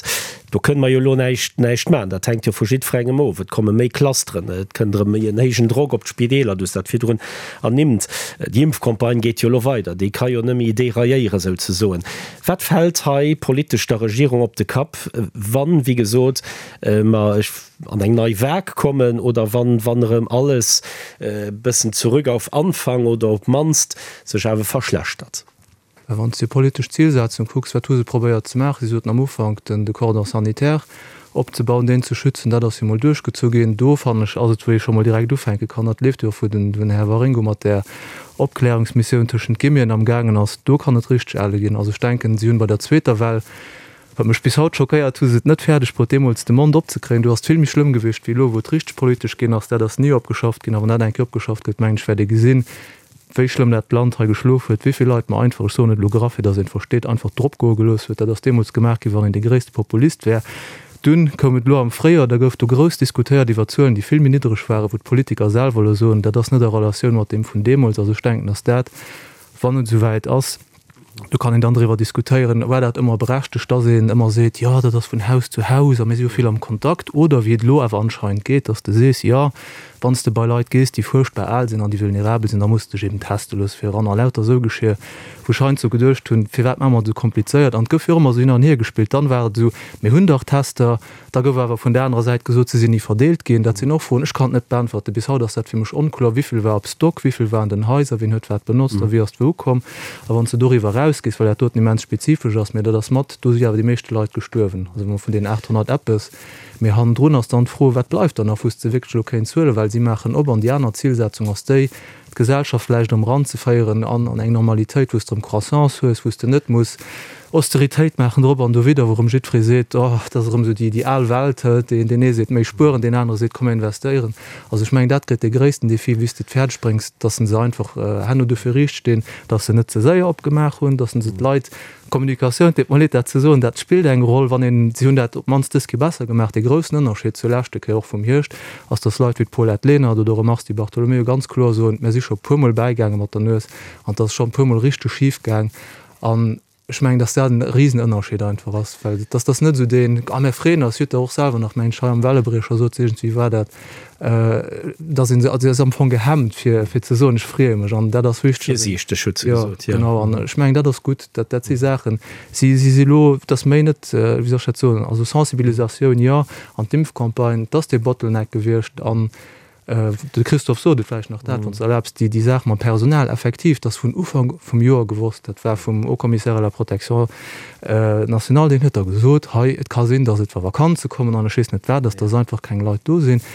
Do kënne mer jo elo näischt, näischt maachen. Dat hänkt jo vu jiddwerengem of. Et komme méi Clusteren, et kënnt erëm méi en héijen Drock op d'Spideeler, du hues dat virdrun ernimmt. Déi Impfcampagne geet jo elo weider, déi ka jo net méi dérailléieren souzesoen. Wat fält hei politesch der Regierung op de Kapp, wann, wéi gesot, mer an eng nei Vague kommen oder wann, wann erëm alles e bëssen zurück auf Anfang oder op d'mannst sech awer verschlechtert? Well wann s de déi politesch Zilsetzung kucks, wat hu se probéiert ze maachen? Si soten am Ufank, den de Cordon sanitaire opzebauen, deen ze schützen. Dat ass jo mol duerchgezu ginn. Do, fannen ech, ass et, wou ee scho mol direkt ufänke kann. Dat leeft jo och, wou den Här Waringo mat där Opklärungsmissioun tëschent Guillemeten amgaangen ass. Do kann et richteg elle ginn. Also ech denken, si hunn bei der zweeter Well, wat mech bis haut schockéiert, hu se et net fäerdeg bruet, deemools de Mond opzekréien. Do ass et vill méi schlëmm gewiescht wéi elo, wou et richteg politesch ginn ass. Dat ass ni opgeschafft ginn. A wann dat eng Kéier opgeschafft gëtt, mengen ech, wäert ee gesinn, wéi schlëmm dat Land hei geschlof huet, wéi vill Leit mer einfach, ech soen et elo graff, fir datt een et versteet, einfach drop goe gelooss huet. Dat ass deemools gemaach ginn, wann een dee gréisste Populist wär. Dunn koum et elo am Fréijoer, da gouf do grouss diskutéiert iwwer Zuelen, déi vill méi niddreg waren, wou d'Politiker selwer elo soen, dat ass net a Relatioun mat deem vun deemools. Also ech denken, datt dat, wann et esouwäit ass, do kann een dann driwwer diskutéieren, war dat ëmmer berechtegt, datt een ëmmer seet, jo dat ass vun Haus zu Haus a mir si jo vill am Kontakt, oder wéi et elo awer anscheinend geet, datt s de sees, jo wann s de bei Leit gees, déi fuerchtbar al sinn an déi vulnerabel sinn, da muss de dech eben teste loosse fir eran a lauter esou Geschir, wou ech heiansdo geduecht hunn, firwat maache mer et esou komplizéiert? An et gouf jo och ëmmer esou hin an hier gespillt. Dann war et esou, mir hunn dach Tester. Da gouf awer vun der anerer Säit gesot, se sinn ni verdeelt ginn. Dat sinn och Froen, ech kann et net beäntwerten. Bis haut ass dat fir mech onkloer, Wivill war op Stock, wivill war an den Haiser, wien huet wat benotzt a wéi ass et wou ukomm. A wann s de doriwwer erausgees, well dat doten immens spezifesch ass, mä dat ass mat, do si awer déi meeschte Leit gestuerwen, also wa mer vun deenen 800 eppes, mä hannendrun ass dann d'Fro, wat bleift dann nach, wou s de wierklech elo kéints huelen, well si maachen op an déi aner Zilsetzung ass déi, d'Gesellschaft vläicht erëm eranzeféieren an an eng Normalitéit, wou s de erëm Croissance hues, wou s de net muss Austeritéit maachen drop an dowidder, wou erëm jiddweree seet, oh, dat ass erëm esou déi, déi al Welt, deen, deen ee seet méi spueren, deen anere seet komm mir investéieren. Also ech mengen, dat gëtt dee gréissten Défi, wéi s de et fäerdeg bréngs, dass se einfach herno dofir riicht stinn, dass se net ze séier opgemaach hunn, dass se d'Leit Kommunikatioun, et deet mer leed dat ze soen, dat spillt eng Roll, wann een, si hunn dat op d'mannst dës Kéier besser gemaach, dee groussen Ënnerscheed zur leschte Kéier, och vum Hierscht, ass, datt Leit wéi d'Paulette Lenert oder och e Mars Di Bartolomeo ganz kloer soen, mir si scho e puermol bäigaange mat der Nues an et ass scho e puermol richteg schif gaang. An ech mengen, datt dat e Risenënnerscheed einfach ass, well et ass net esou deen, a mir freeën eis, huet Der och selwer nach, mengen ech, hei am Wellebriecher sot se iergendwéi war dat, dass een se, also ass am Fong gehemmt fir fir ze soen, ech freeë mech an dat ass wichteg. Virsiichteg huet se gesot, jo. Genau, an ech mengen dat ass gutt, dat dat si Saachen, si si si elo, et ass méi net, wéi soll ech dat soen, also Sensibilisatioun jo, an d'Impfcampagne, et ass dee Bottleneck gewiescht an de Christophe sot et vläicht nach dat, wann s de erlaabs, déi déi Saach mam Personal, effektiv, et ass vun Ufank vum Joer gewosst, dat war vum Haut Commissaire à la protection nationale, deen huet da gesot, hei, et ka sinn, datt et wa Vakanze kommen an ech weess net wat, datt da einfach keng Leit do sinn.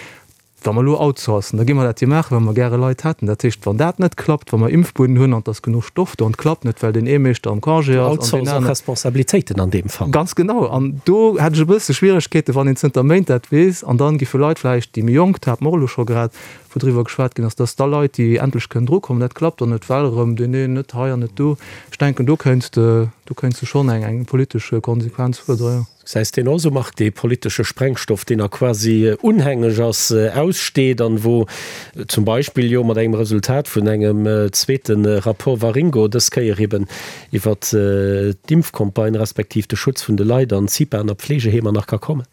Wa mer elo outsourcen, da gi mer dat jo maachen, well mer gäre Leit hätten. Dat heescht, wann dat net klappt, wa mer Impfbuden hunn an et ass genuch Stoff do an et klappt net, well deen ee Meeschter am Congé ass an deen aneren. Responsabilitéiten an deem Fall. Ganz genau. An do hätt ech e bësse Schwieregkeeten, wann een zënter Méint dat weess an dann giffe Leit vläicht, déi méi jonk, dat hate mer och elo scho grad, wou driwwer geschwat ginn ass, dass da Leit, déi endlech kënnen drukommen, dat klappt dann net, well erëm deen een net hei an net do. Ech denken, do kéints de, do kéints de schonn eng, eng politesch Konsequenz fuerderen, jo. Gesäis deen och esou, Marc, dee politesche Sprengstoff, deen a quasi unhängeg ass, aussteet an wou zum Beispill jo mat engem Resultat vun engem zweete Rapport Waringo, dës Kéier eben iwwert d'Impfcampagne respektiv de Schutz vun de Leit an CIPAen a Pflegeheemer nach ka kommen?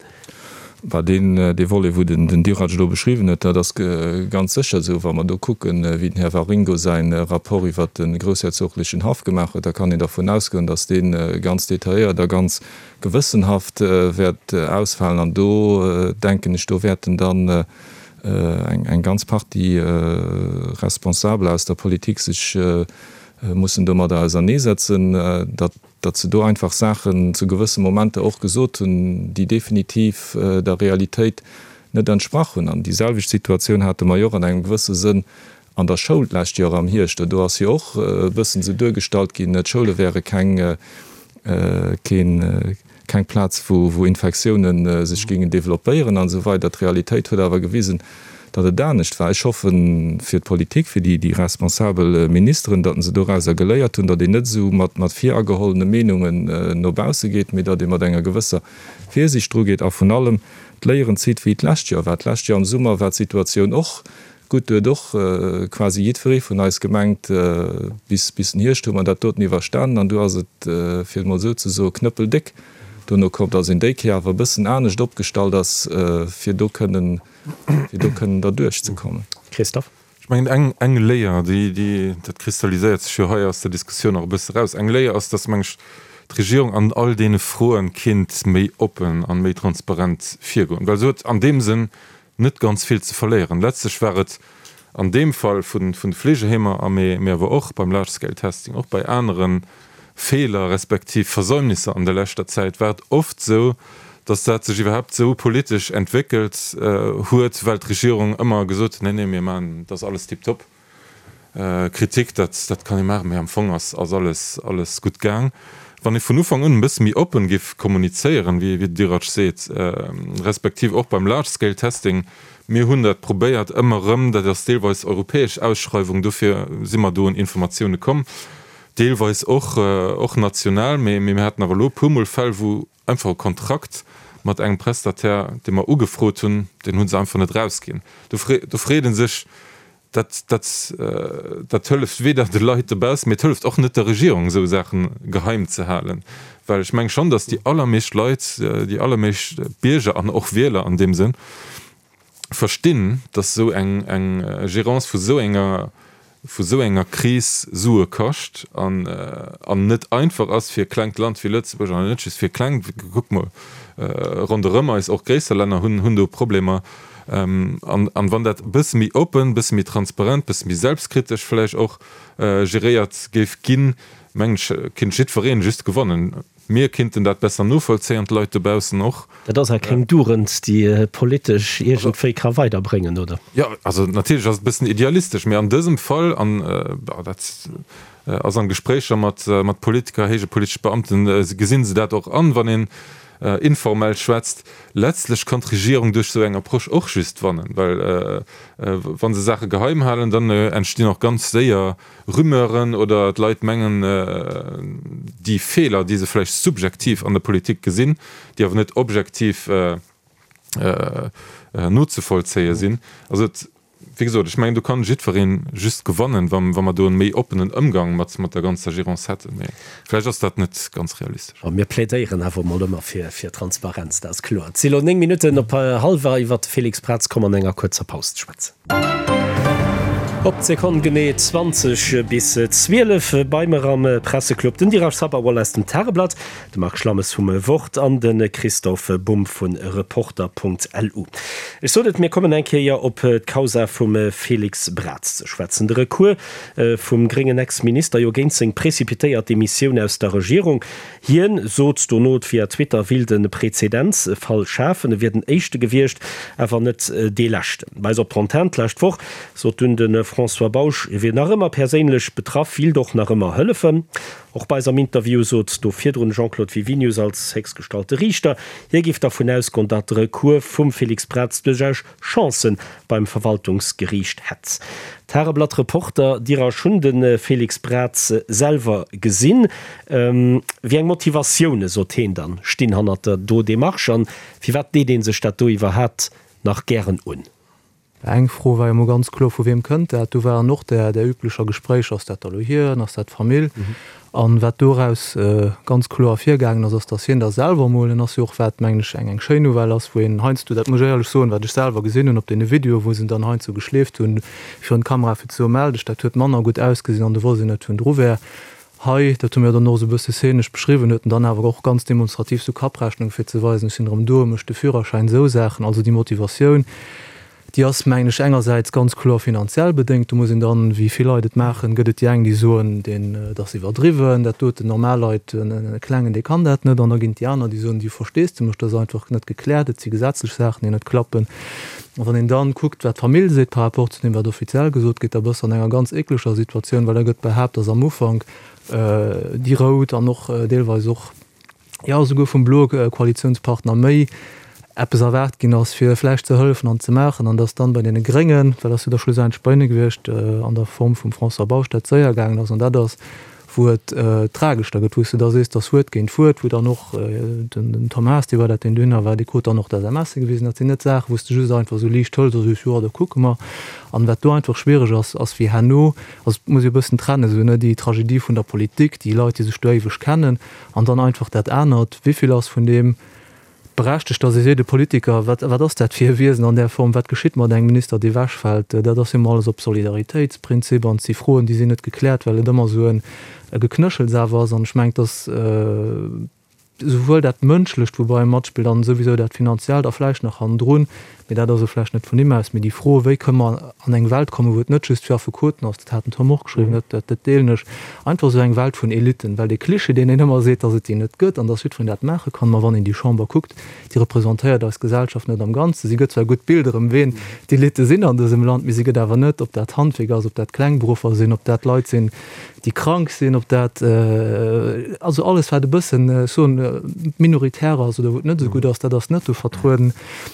Bah, deen, dee Volet, wou den, den Dirac elo beschriwwen huet, dat ass ganz sécher esou. Wa mer do kucken, wéi den Här Waringo säi Rapport iwwert de groussherzoglechen Haff gemaach huet, da kann een dervun ausgoen, datt dee ganz detailléiert a ganz gewëssenhaft wäert ausfalen. An do, denken ech, do wäerten dann eng, eng ganz Partie Responsabeler aus der Politik sech mussen domadder auserneesetzen, datt, datt se do einfach Saachen zu gewësse Momenter och gesot hunn, déi definitiv der Realitéit net entsprach hunn. An déi selwecht Situatioun hate mer jo och an engem gewësse Sënn an der Schoul d'lescht Joer am Hierscht. Do ass jo och e bëssen esou duergestallt ginn, d'Schoule wäre keng, keen, keng Plaz, wou Infektiounen sech géingen developpéieren an esou weider. D'Realitéit huet awer gewisen, datt et anescht war. Ech hoffe fir d'Politik, fir déi responsabel Ministeren, datt se dorauser geléiert hunn, datt een net esou mat viragehollene Meenungen no bausse geet, mee datt ee mat enger gewësser Virsiicht drugeet a vun allem d'Léieren zitt, wéi et d'lescht Joer war. D'lescht Joer am Summer war d'Situatioun och Gutt, do huet och quasi jiddweree vun eis gemengt, bis bis den Hierscht hu mer dat doten iwwerstanen an du ass et, fir et mol esou ze soen, knëppeldéck dono komm, datt een déi Kéier awer e bëssen anescht opgestallt ass, fir do kënnen, fir do kënnen derduerch ze kommen. Christophe. Ech mengen, eng, eng Léier, déi, déi, dat kristalliséiert sech jo hei aus der Diskussioun och e bësse raus, eng Léier ass, datt, meng ech, d'Regierung an all deene Froen kinnt méi oppen an méi transparent virgoen, well se huet an deem Sënn net ganz vill ze verléieren. Letztlech war et an deem Fall vun de Fleegeheemer a mee awer och beim Large Scale Testing, och bei anere. Feeler respektiv Versäumnisser an der leschter Zäit war et oft esou, datt dat sech iwwerhaapt esou politesch entwéckelt huet, well d'Regierung ëmmer gesot huet, nee, nee, mir maachen, dat ass alles tiptop. Kritik, dat, dat kann ee maachen, mee am Fong ass, ass alles, alles gutt gaang. Wann ee vun Ufank un e bësse méi oppen géif kommunizéieren, wéi, wéi de Dirac seet, respektiv och beim Large Scale Testing, mir hunn dat probéiert ëmmer erëm, dat ass deelweis europäesch Ausschreiwung, dofir si mer do un Informatioune komm, deelweis och, och national, mee, mee mir haten awer elo e puermol Fäll, wou einfach e Kontrakt mat engem Prestataire, dee mer ugefrot hunn, deen hu se einfach net erausginn. Do freet ee sech, dat, dat, dat hëlleft weder de Leit dobaussen, mee et hëlleft och net der Regierung, esou Saache geheim ze halen. Well ech menge schonn, datt déi allermeescht Leit, déi allermeescht Bierger an och Wieler an deem Sënn verstinn, datt esou eng, eng Gérance vu esou enger, vu esou enger Kris Sue kascht an, an net einfach ass fir e klengt Land wéi Lëtzebuerg, an net just fir e klengt, kuckt mol ronderëm eis, och gréisser Länner hunn, hunn do Problemer. An, an wann dat e bësse méi oppen, e bësse méi transparent, e bësse méi selbstkritesch vläicht och geréiert géif ginn, mengen ech, kinnt jiddwereen just gewannen. Mir kinnten dat besser novollzéien, d'Leit dobaussen och. Dat ass awer keng Dugend, déi politesch iergendwéi ka weiderbréngen, oder? Jo, also natierlech ass et e bëssen idealistesch, mee an dësem Fall, an dat ass an Gespréicher mat Politiker, héije politesche Beamten, gesinn se dat och an, wann een informell schwätzt. Letztlech kann d'Regierung duerch esou eng Approche och just wannen, well wa se Saache geheim halen, dann entstinn och ganz séier Rumeuren oder d'Leit mengen, déi Feeler, déi se vläicht subjektiv an der Politik gesinn, déi awer net objektiv nozevollzéie sinn. Also et, wéi gesot, ech mengen, do kann jiddweree just gewannen, wa mer do e méi oppenen Ëmgang mat der ganzer Gérance hätten. Mee vläicht ass dat net ganz realistesch. Mir plädéieren awer emol ëmmer fir Transparenz, dat ass kloer. Et si lo 9 Minutten op hallwer. Iwwert de Félix Braz komme mer an enger kuerzer Paus ze schwätzen. Op d'Sekonn genee 20 bis 12 bei mer am Presseclub den Dirac Sabharwal aus dem Tageblatt, de Marc Schlammes vum Wort an de Christophe Bumb vu Reporter.lu. Ech sot et, mir kommen eng Kéier op d'Causa vum Félix Braz ze schwätzen. De Recours vum gréngen Ex-Minister jo géint seng precipitéiert Demissioun aus der Regierung. Hien sot dono via Twitter, willt e Prezedenzfall schafen, e wier den éischte gewiescht, awer net dee leschten. Bei eis op der Antenn d'lescht Woch sot dunn de François Bausch, hie wier nach ëmmer perséinlech betraff, willt och nach ëmmer hëllefen. Och bei eis am Interview sot do virdrun de Jean-Claude Wiwinius als héchstgestallte Riichter, hie géif dervun ausgoen, datt de Recours vum Félix Braz duerchaus Chancen beim Verwaltungsgeriicht hätt. D'Tageblatt Reporter Dirasch hunn de Félix Braz selwer gesinn. Wéi eng Motivatioune, sot heen dann, stinn hannert der do Demarche an firwat deet ee sech dat do iwwerhaapt nach gären un? Eng Fro war jo mol ganz kloer, Vu weem kënnt dat? Do waren och där üblecher Gespréicher, Ass dat da lo hien? Ass dat d'Famill? An wat doraus ganz kloer ervirgaangen ass, ass, dass hien da selwer emol, en ass jo och, wat mengen ech eng eng schéin Nouvelle ass, wou een heiansdo, dat muss ech éierlech soen, wat ech selwer gesinn hunn op deene Videoen, wou se en dann heiansdo geschleeft hunn virun d'Kamera fir ze soen, mell dech, dat huet manner gutt ausgesinn an du wosst een net, wien dru wär. Hei, dat hu mir dann och esou e bësse szenesch beschriwwen, huet en dann awer och ganz demonstrativ sou Kapprechnung fir ze weisen, ech sinn erëm do, mécht de Führerschäin, esou Saachen. Also déi Motivatioun. Déi ass, mengen ech, engersäits ganz kloer finanziell bedéngt. Do muss een dann, wéi vill Leit et maachen, gëtt et déi eng, déi soen, deen, et ass iwwerdriwwen, dat doten, normal Leit, e Klengen, dee kann dat net. An da ginn et déi aner, déi soen, déi hu Versteesdemech, dat ass einfach net gekläert, et si gesetzlech Saachen, déi net klappen. A wann een dann kuckt, wat d'Famill seet par rapport zu deem, wat offiziell gesot gétt, da bass de an enger ganz ekleger Situatioun, well da gëtt behaapt, dass am Ufank déi Rout an och deelweis och, jo esouguer vum bloe Koalitiounspartner méi eppes erwaart ginn ass, fir vläicht ze hëllefen an ze maachen, an datt dann bei deene Gréngen, well ass jo da schlussendlech bei hinne gewiescht, an der Form vum François Bausch, dat séier gaangen ass. An dat ass, wou et tragesch da gëtt, wou s de da sees, datt Wuert géint Wuert, wou dann och den Tom Haas, dee war dat, deen dohinner war, dee krut dann och d'SMSe gewisen. Dat sinn net Saachen, wou s de just einfach esou liicht hëls a sees, jo, da kucke mer. An wat do einfach schwiereg ass, ass wéi herno, also et muss ee e bëssen trennen, esou, ne, déi Tragedie vun der Politik, déi Leit, déi sech do éiweg kennen, An dann einfach dat anert, Wéivill ass vun deem berechtegt, datt ee seet, e Politiker, wat, wat ass dat fir e Wiesen an där Form, wat geschitt mat engem Minister, dee ewechfält? Dat ass jo emol alles op Solidaritéitsprinzip an et si Froen, déi sinn net gekläert, well et ëmmer esou e Geknëschels awer ass. An ech mengen, datt esouwuel dat Mënschlecht, wou bei matspillt, an souwisou dat Finanziellt a vläicht nach hannendrun. Mee dat ass elo vläicht net vun him aus, mee déi Fro, wéi kënne mer an eng Welt kommen, wou et net just fir Affekoten ass, dat hat den Tom och geschriwwen, dat, dat, dat deelen ech, einfach esou eng Welt vun Eliten, well dee Cliché, deen een ëmmer seet, datt et déi net gëtt an datt jiddwereen dat maache kann, ma wann een déi Chamber kuckt, déi representéiert eis Gesellschaft net am Ganzen. Si gëtt zwar e gutt Bild erëm, ween d'Elite sinn an dësem Land, mee si gëtt awer net, ob dat Handwierker ass, ob dat Klengberuffer sinn, ob dat Leit sinn, déi krank sinn, ob dat, also alles wat e bëssen, ech soen, minoritär ass oder wou et net esou gutt ass, dat ass net do vertrueden.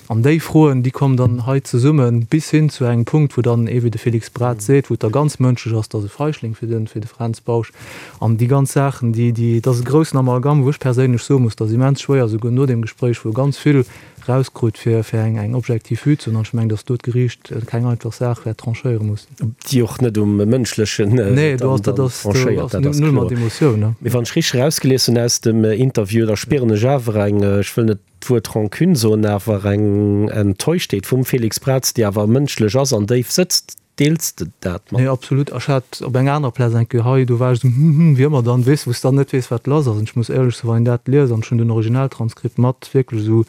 An déi Froen, déi kommen dann hei zesummen, bis hin zu engem Punkt, wou dann ee wéi de Félix Braz seet, wou et da ganz mënschlech ass, dass e Feichling fir de, fir de Fränz Bausch an déi ganz Saachen, déi, déi, dat ass e groussen Amalgam, wou ech perséinlech soe muss, dat ass immens schwéier, souguer no deem Gespréich, wou e ganz vill erauskrut, fir, fir eng, eng objektiv Vue ze hunn. An ech mengen, dass do d'Geriicht keng einfach Saach wäert tranchéiere mussen. Déi och net um Mënschlechen Nee, do ass, dat ass, do ass null mat Emotioun, ne. Mee wann ech richteg erausgelies hunn aus dem Interview, da spieren ech awer eng, ech wëll net d'Wuert Rancune soen, awer eng Enttäuschtheet vum Félix Braz, déi awer mënschlech ass an déif sëtzt. Deels de dat mat? Nee, absolut. Ech hat op enger anerer Plaz eng Kéier hei, do war ech esou hm, hm, wéi ëmmer dann, weess, wou s dann net weess, wat lass ass. An ech muss éierlech soen, wann een dat liest, an ech hunn den Originaltranskript mat, wierklech esou,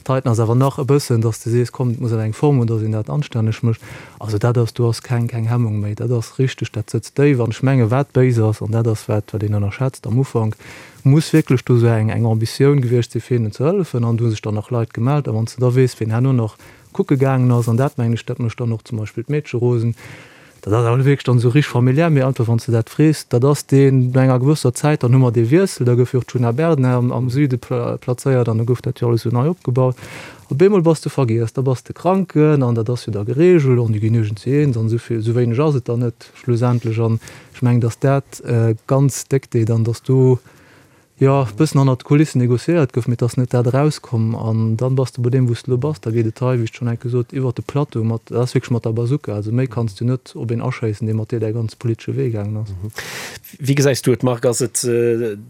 d'heiten ass awer nach e bëssen, dass de sees, komm, et muss awer eng Form hunn, dass een dat anstänneg mécht. Also dat ass, do ass keng, keng Hemmung méi. Dat ass richteg, dat sëtzt déif. An ech menge wat béis ass, an dat ass wat, wat een ënnerschätzt am Ufank, muss wierklech do esou eng, eng Ambitioun gewiescht sinn, fir hinnen ze hëllefen. An do hu sech dann nach Leit gemellt. A wann s de da weess, wien herno nach kucke gaangen ass, an dat mengen ech, dat mécht dann och zum Beispill d'Meedche rosen, dat ass awer net wierklech dann esou richteg familiär, mee einfach wann s de dat frees, dat ass deen, no enger gewësser Zäit, dann hu mer dee Wiessel, da gouf jo och d'Djuna Bernard am am Süde plazéiert an da gouf dat jo alles esou nei opgebaut. Op eemol bass de vergiess, da bass de Kranken an dat ass jo da geregelt an déi ginn iergendwéi eens an esou vill, esou wéineg ass et dann net schlussendlech an ech mengen, datt dat ganz déck deet an datt do jo, e bëssen hannert de Kulissen negociéiert gouf, mee et ass net dat erauskomm. An dann bass de bei deem, wou s de elo bass. Da geet et hei, wéi ech et schonn enke sot, iwwert de Plateau mat, dat ass wierklech mat der Bazooka. Also méi kanns du net op een aschéissen, dee mat dir däi ganze politesche Wee gaangen ass. Wéi gesäis du et, Marc? Ass et,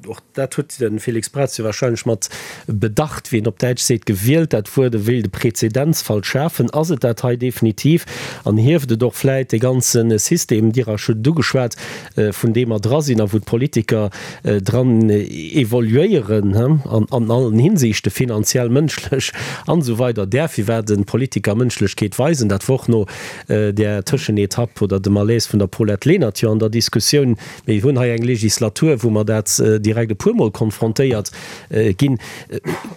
och dat huet de Félix Braz jo wahrscheinlech mat Bedacht, wéi een op Däitsch seet, gewielt, dat Wuert, e wéilt e Präzedenzfall schafen. Ass et dat hei definitiv? An hieft et och vläit dee ganze System, Dir hutt et ugeschwat, vun deem mer dra sinn a wou d'Politiker dran evoluéieren, an allen Hinsichten, finanziell, mënschlech an esou weider, däerf iwwer de Politiker Mënschlechkeet weisen. Dat wor och no där Tëschenetapp oder dem Malaise vun der Paulette Lenert jo an der Diskussioun. Mir hunn hei eng Legislatur, wou mer dat direkt e puermol konfrontéiert ginn.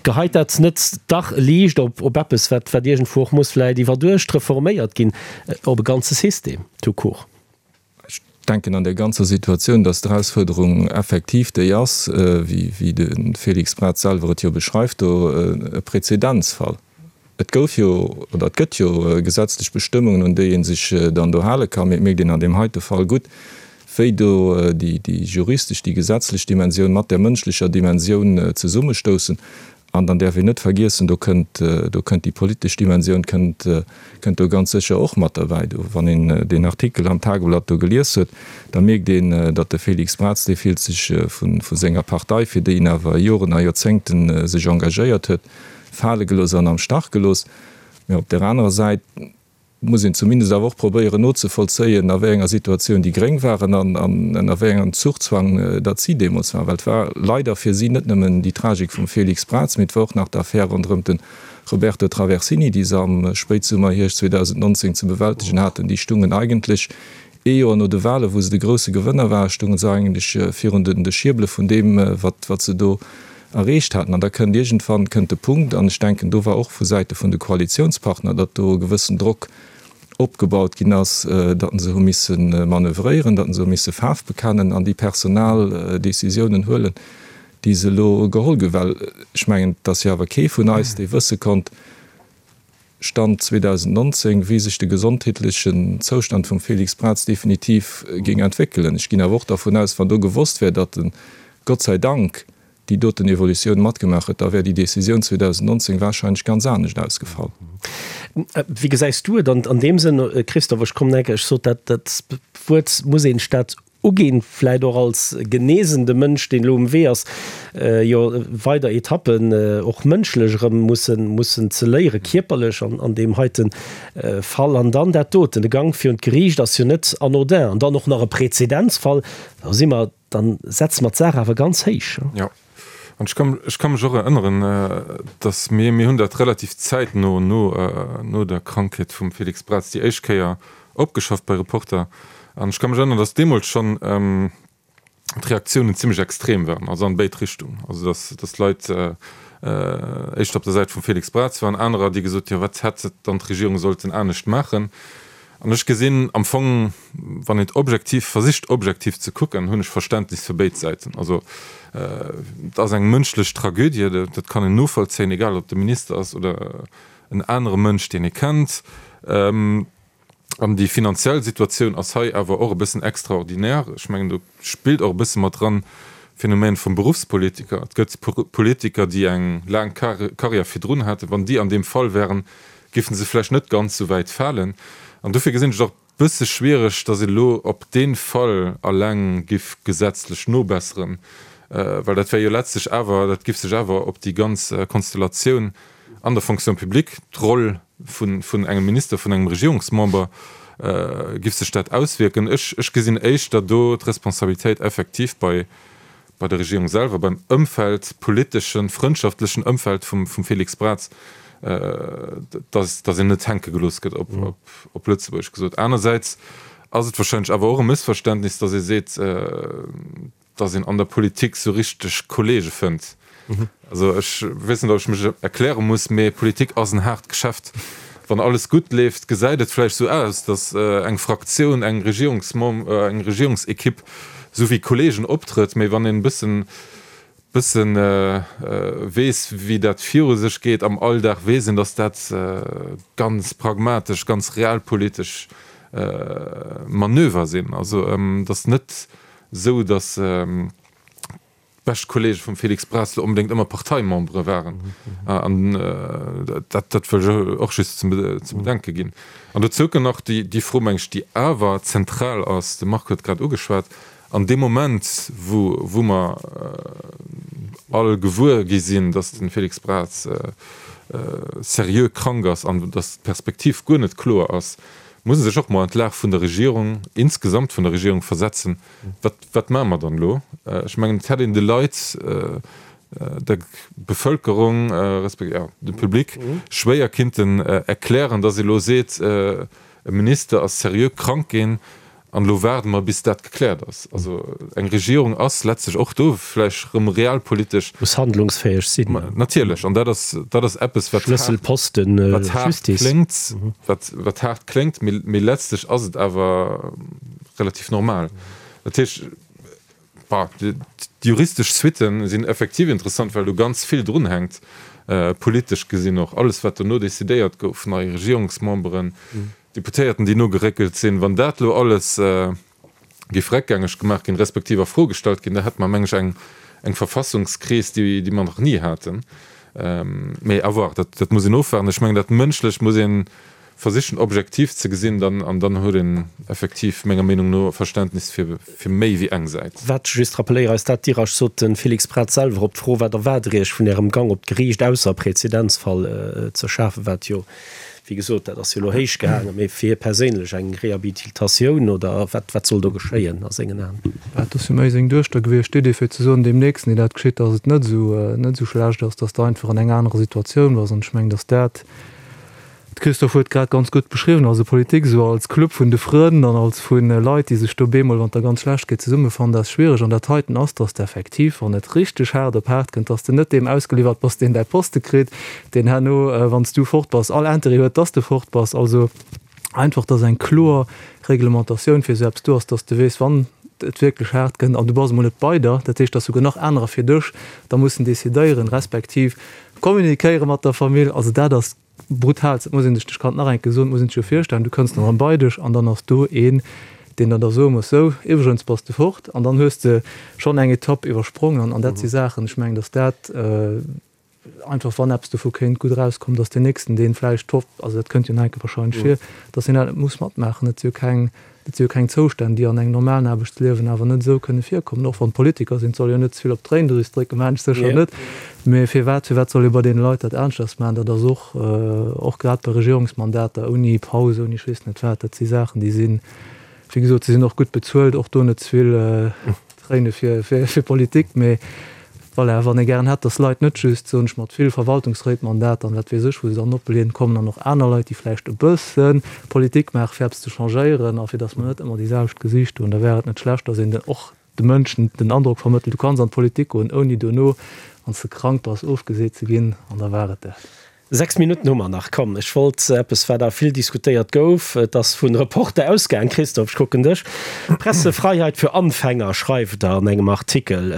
Geheit dat net dach e Liicht op eppes, wat iergendwou och muss vläicht iwwerduecht reforméiert ginn, op e ganze System tout court? Ech denken an där ganzer Situatioun, dass d'Erausfuerderung effektiv déi ass, wéi de Félix Braz selwer et jo beschreift do, e Präzedenzfall. Et gouf jo oder et gëtt jo gesetzlech Bestëmmungen, un déi ee sech dann do hale kann, mee et mierkt een an deem heite Fall gutt, wéi do déi juristesch, déi gesetzlech Dimensioun mat där mënschlecher Dimensioun zesummestoussen. An dann däerf een net vergiessen, do kënnt, do kënnt déi politesch Dimensioun kënnt, kënnt do ganz sécher och mat derbäi. Do, wann een deen Artikel am Tageblatt do gelies huet, da mierkt een, datt de Félix Braz, dee fillt sech vu, vu senger Partei, fir déi en awer Joren a Joerzéngten sech engagéiert huet, fale gelooss an am Stach gelooss. Mä op där anerer Säit, muss een zumindest awer och probéieren nozevollzéien, a wéi enger Situatioun déi Gréng waren an ënner wéi engem Zuchzwang datt si deemools waren. Well et war leider fir si net nëmmen déi Tragik vum Félix Braz, mee et war och nach d'Affär ronderëm de Roberto Traversini, déi se am Spéitsummer, Hierscht 2019 ze bewältegen haten. Déi stungen eigentlech ee Joer no de Wahlen, wou se de grousse Gewënner waren, stungen se eigentlech virun de Schierbele vun deem, wat se do erreecht haten. An da kënnt iergendwann kënnt de Punkt, an ech denken, do war och vu Säite vun de Koalitionspartner, datt do e gewëssen Drock opgebaut ginn ass, datt se hu misse manövréieren, datt se hu misse Faarf bekennen an déi personal Décisiounen huelen, déi se elo geholl ginn. Well ech mengen, et ass jo awer kee vun eis, dee wësse konnt, Stand 2019, wéi sech de gesondheetlechen Zoustand vum Félix Braz definitiv géing entwéckelen. Ech ginn awer och dervun aus, wann do gewosst wär, datt en, Gott sei Dank, déi doten Evolutioun matgemaach huet, da wär déi Décisioun 2019 wahrscheinlech ganz anescht ausgefall. Wéi gesäis du et an deem Sënn, Christophe? Ech kommen enke, ech sot dat, dat Wuert muss een Staat uginn, vläit och als genesende Mënsch, deen elo um Wee ass, jo weider Etappen och mënschlech erëm mussen mussen ze léieren, kierperlech an an deem heite Fall. An dann dat doten, de Gank virun d'Geriicht ass jo net anodin. An dann och nach e Präzedenzfall, da si mer, dann setze mer d'Saach awer ganz héich. Jo. An ech kann, ech ka mech och erënneren, datt mir, mir hunn dat relativ zäitno no, no der Krankheet vum Félix Braz déi éischt Kéier opgeschafft bei Reporter. An ech ka mech erënneren, datt deemools schonn d'Reaktiounen zimmlech extrem waren, also an béid Richtungen. Also datt, datt Leit éischter op der Säit vum Félix Braz waren, anerer, déi gesot hunn, jo wat hätt dann d'Regierung sollten anescht maachen. An ech gesinn am Fong, wann een et objektiv versicht objektiv ze kucken, hunn ech Verständnis fir béid Säiten. Also et ass eng mënschlech Tragödie, dat kann een novollzéien, egal ob et de Minister ass oder en anere Mënsch, deen ee kennt. An déi finanziell Situatioun ass hei awer och e bëssen extraordinär. Ech mengen, do spillt och e bësse mat dran d'Phänomen vum Beruffspolitiker. Et gëtt Politiker, déi eng laang Karriär virdrun haten. Wann déi an deem Fall wären, géifen se vläicht net ganz esou wäit falen. An dofir gesinn ech et och e bësse schwiereg, datt een elo op dee Fall alleng giff gesetzlech nobesseren, well dat wär jo letztlech awer, dat giff sech awer op déi ganz Konstellatioun an der Fonction publique, d'Roll vun engem Minister, vun engem Regierungsmember, giff sech dat auswierken. Ech, ech gesinn éischter do d'Responsabilitéit effektiv bei bei der Regierung selwer, beim Ëmfeld, politeschen, frëndschaftlechen Ëmfeld vum Félix Braz, dass dass een net hänke gelooss gëtt, op op Lëtzebuergesch gesot. Anersäits ass et wahrscheinlech awer och e Mëssverständnis, dass ee seet, dass een an der Politik sou richteg Kollege fënnt. Also ech weess net, ob ech mech erkläre muss, mee Politik ass en haart Geschäft. Wann alles gutt leeft, gesäit et vläicht sou aus, datt eng Fraktioun, eng Regierungsmem, eng Regierungsekipp sou wéi Kollegen optrëtt. Mee wann een e bëssen, bëssen weess, wéi dat viru sech geet am Alldag, weess een, datt dat ganz pragmatesch, ganz realpolitesch Manöver sinn. Also et ass net sou, datt. D'bescht Kollege vum Félix Braz lo onbedéngt ëmmer Parteimembere waren. An dat, dat wëll ech och just ze bedenke ginn. An dozou kënn nach déi, déi Fro, meng ech, déi awer zentral ass, de Marc huet grad ugeschwat, An deem Moment, wou, wou mer all gewuer gi sinn, datt de Félix Braz seriö krank ass an datt d'Perspektiv guer net kloer ass, muss e sech och mol an d'Lag vun der Regierung, insgesamt vun der Regierung versetzen, Wat, wat maache mer dann elo? Ech mengen, et hätt een de Leit, der Bevëlkerung, respektiv, jo, dem Public schwéier kinnten erklären, dass ee elo seet, e Minister ass seriö krank ginn an elo waarde mer, bis dat gekläert ass. Also eng Regierung ass letztlech och do vläicht erëm realpolitesch. Muss handlungsfäeg sinn. Natierlech. An dat ass, dat ass eppes, wat haart, Schlësselposten, wat haart Justice. kléngt, wat, wat haart kléngt, mee, mee letztlech ass et awer relativ normal. Dat heescht, bah, déi juristesch Suitte sinn effektiv interessant, well do ganz vill drunhänkt, politesch gesinn och. Alles, wat dono decidéiert gouf, nei Regierungsmemberen, Deputéierten, déi nogeréckelt sinn, wann dat elo alles géif réckgängeg gemaach ginn, respektiv a Fro gestallt ginn, da hätte mer, meng ech, eng, eng Verfassungskris, déi, déi mer nach ni haten. Mee à voir, dat, dat muss een ofwaarden. Ech mengen, dat Mënschlecht muss een Versichen objektiv ze gesinn dann, an dann huet een effektiv menger Meenung no Verständnis fir fir méi wéi eng Säit. Wat, just rappeléiere eis dat, Dirasch sot de Félix Braz selwer op d'Fro, wat erwaart Der Iech vun Ärem Gang op d'Geriicht, ausser e Präzedenzfall ze schafen, wat jo, wéi gesot, dat ass jo elo héich gehaangen, mee fir hie perséinlech eng Rehabilitatioun oder wat, wat soll do geschéien a sengen Aen? Dat ass jo méi seng Duechter gewiescht, d'Idee fir ze soen, deem nächsten, deen dat geschitt, datt et net esou, net esou schlecht ass, datt s de einfach an enger anerer Situatioun bass. An ech mengen, datt dat, De Christophe huet grad ganz gutt beschriwwen, also Politik esou als Club vun de Frënn an als vu Leit, déi sech do bemol, wann et da ganz schlecht geet, zesummefannen, dat ass schwiereg. An dat heiten ass, dass de effektiv, wann et richteg haart op haart kënnt, dass de net deem ausgeliwwert bass, deen däi Poste kritt, deen herno, wann s du fort bass, all Intérêt huet, dass de fort bass. Also einfach, dass eng kloer Reglementatioun fir esou eppes do ass, dass de weess, wann et wierklech haart kënnt an du bass emol net bei der, dat heescht, dass souguer nach anerer fir dech da mussen decidéieren, respektiv Communiquéiere mat der Famill, also dat ass brutal, dat muss een sech, ech kann et nach eng Kéier soen, muss een sech jo virstellen, du kënns dann erëm bei dech an dann ass do een, deen der da soe muss, sou, iwwregens bass de fort an dann hues de schonn eng Etapp iwwersprongen an dat si Saachen, ech mengen, datt dat einfach, wann eppes dovu kéint gutt erauskommen, datt deen Nächsten, deen vläicht, also dat kënnt jo nach eng Kéier wahrscheinlech vir, datt hien dat net muss matmaachen, et si jo keng Dat si jo keng Zoustänn, déi an engem normalen Aarbechtsliewen awer net esou kënne virkommen, och wann et Politiker sinn. Et soll jo net ze vill op d'Tréindrüs drécken, maachen ech sécher net. Mee firwat, firwat soll ee bei deene Leit dat aneschters maachen? Dat ass och, och grad bei Regierungsmandater ouni Paus, ouni ech weess net wat, dat si Saachen, déi sinn, wéi gesot, se sinn och gutt bezuelt, och do net ze vill Tréine fir, fir, fir Politik. Mee. Voilà, wann ee gären hätt, dass Leit net just, soen ech, mat vill Verwaltungsréitmandater an wat weess ech, wou se dann opbléien, kommen an och aner Leit, déi vläicht e bësse Politik maachen, fir eppes ze changéieren a fir dass mer net ëmmer déi selwecht Gesiichter hunn, da wär et net schlecht, dass een och de Mënschen den Androck vermëttelt, du kanns an d'Politik goen, ouni dono, wann s de krank bass, ofgeseet ze ginn an da war et dat. 6 Minutten hu mer nach. Komm, ech wollt eppes, wat awer vill diskutéiert gouf, et ass vun Reporter ausgaang, Christophe, ech kucken dech, Pressefreiheit für Anfänger schreift Der an engem Artikel.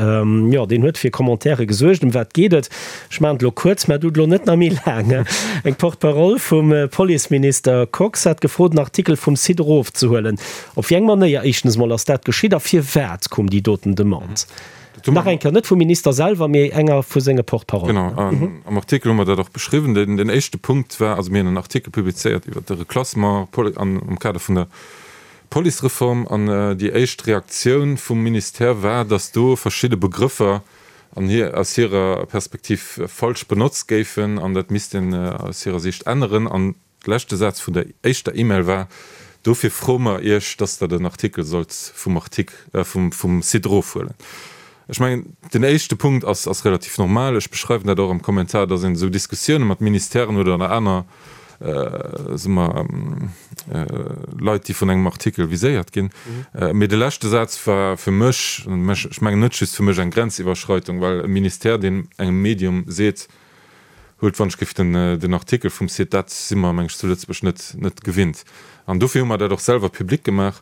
Jo, deen huet fir Commentaire gesuergt. Ëm wat geet et? Ech maachen et elo kuerz, mä du elo net nach méi laang. Eng Porte-parole vum Policeminister Kox hat gefrot, en Artikel vum Site erofzehuelen. Op wéi eng Manéier éischtens emol ass dat geschitt a firwat koum déi doten Demande? Nach eng Kéier, net vum Minister selwer, mee enger vu senge Porte-parollen. Genau, am Artikel hu mer dat och beschriwwen. Den éischte Punkt war, also mir hunn en Artikel publizéiert iwwert de Reklassement am Kader vun der Policereform an déi éischt Reaktioun vum Ministère war, datt do verschidde Begrëffer an hir, aus hirer Perspektiv falsch benotzt géifen an dat misst een aus hirer Siicht änneren. An De leschte Saz vun der éischter E-Mail war, Dofir froe mer Iech, dass Der den Artikel sollt vum Artik, vum Site erofhuelen. Ech mengen, den éischte Punkt ass, ass relativ normal. Ech beschreiwen dat och am Kommentar, dass een esou Diskussioune mat Ministèren oder aner, soe mer, Leit, déi vun engem Artikel viséiert ginn. Mee de leschte Saz war fir mech, ech mengen net just fir mech, eng Grenziwwerschreitung, well e Ministère, deen engem Medium seet, Huelt wann ech géif den Artikel vum Site, dat si mer meng ech zu Lëtzebuerg net net gewinnt. An dofir hu mer dat och selwer public gemaach.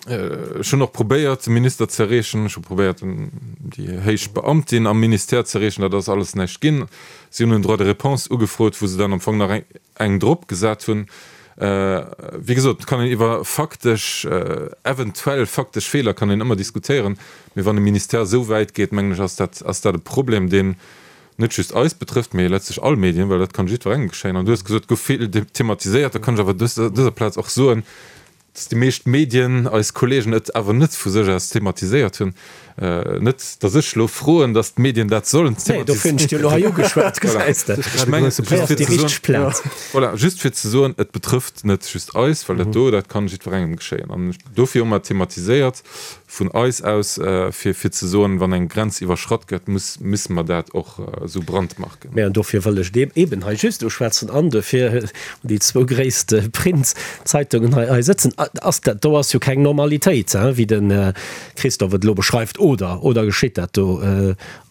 Ech hunn och probéiert de Minister ze erreechen, ech hu probéiert déi héich Beamtin am Ministère ze erreechen, dat ass alles näischt ginn. Si hunn en Droit de réponse ugefrot, wou se dann am Fong nach eng drop gesat hunn. Wéi gesot, et kann een iwwer faktesch, eventuell faktesch Feeler kann een ëmmer diskutéieren. Mee wann e Ministère esou wäit geet, mengen ech, ass dat, ass dat e Problem, deen net just eis betrëfft, mee letztlech all Medien, well dat kann jiddwerengem geschéien. An du hues gesot, et gouf vill thematiséiert. Da kann ech awer op dëser Plaz och soen, dass déi meescht Medien, eis Kollegen, et awer net vu sech aus thematiséiert hunn. Net, dass ech elo froen, dass d'Medien dat sollen thematiséieren. Nee, dofir hunn ech dir elo hei ugeschwat, gesäis de. Ech mengen, just fir ze soen, voilà, just fir ze soen, et betrëfft net just eis, well dat do, dat kann jiddwerengem geschéien. An dofir hu mer thematiséiert. Vun eis aus, fir fir ze soen, wann eng Grenz iwwerschratt gëtt, muss misse mer dat och esou brandmarken. Mä an dofir wëll ech deem eeben hei just uschwätzen an dofir hunn déi zwou gréisst Print-Zeitungen hei hei sëtzen. Ass dat do ass jo keng Normalitéit, hein, wéi de Christophe et elo beschreift, oder? Oder geschitt dat do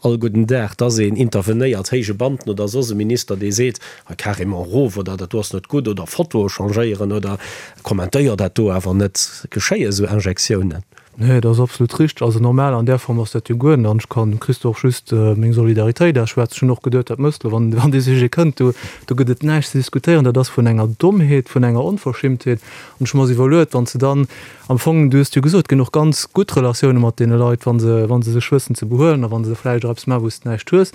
all gudden Dag, dass een intervenéiert, héije Beamten oder soss e Minister, dee seet, hei carrément erof oder dat do ass net gutt oder Fotoe changéieren oder Kommentéier dat do awer net. Geschéie sou Injektiounen? Nee, dat ass absolut richteg. Also normal an där Form ass dat jo guer net. An ech kann dem Christophe just meng Solidaritéit ausschwätzen. Ech hunn och geduet, dat mëss de, wann wann dee Sujet kënnt, do do gëtt et näischt ze diskutéieren. Dat ass vun enger Dommheet, vun enger Onverschimmtheet. An ech hu mer se iwwerluet, wann s de dann am Fong, du hues et jo gesot, et ginn och ganz gutt Relatioune mat deene Leit, wa se wa se sech wëssen ze behuelen a wa se vläicht och eppes maachen, wou s de näischt hues.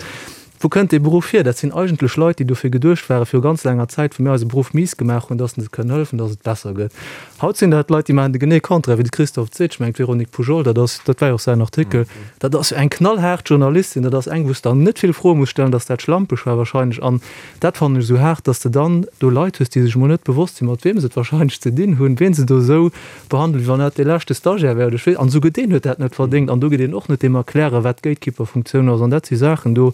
Wou kënnt dee Beruff hier? Dat sinn eigentlech Leit, déi dofir geduecht waren, viru ganz laanger Zäit, wou mir eise Beruff miis gemaach hunn, dass se kënnen hëllefen, dass et besser gëtt. Haut sinn dat Leit, déi maachen de genee Contraire, wéi de Christophe et seet. Ech mengen, d'Véronique Poujol, dat ass, dat war jo och säin Artikel, dat ass jo eng knallhaart Journalistin, dat ass eng, wou s de der net vill Froe muss stellen, dass dat schlampeg war wahrscheinlech. An dat fannen ech esou haart, dass de dann do Leit hues, déi sech emol net bewosst sinn, mat weem se et wahrscheinlech ze dinn hunn, ween se do esou behandelt, wéi wann dat dee leschte Stagiaire wär oder ech weess, an esouguer deen huet dat net verdéngt an do geet een och net deem erklären, wat d'Gatekeeper-Funktioun ass an dat si Saachen, do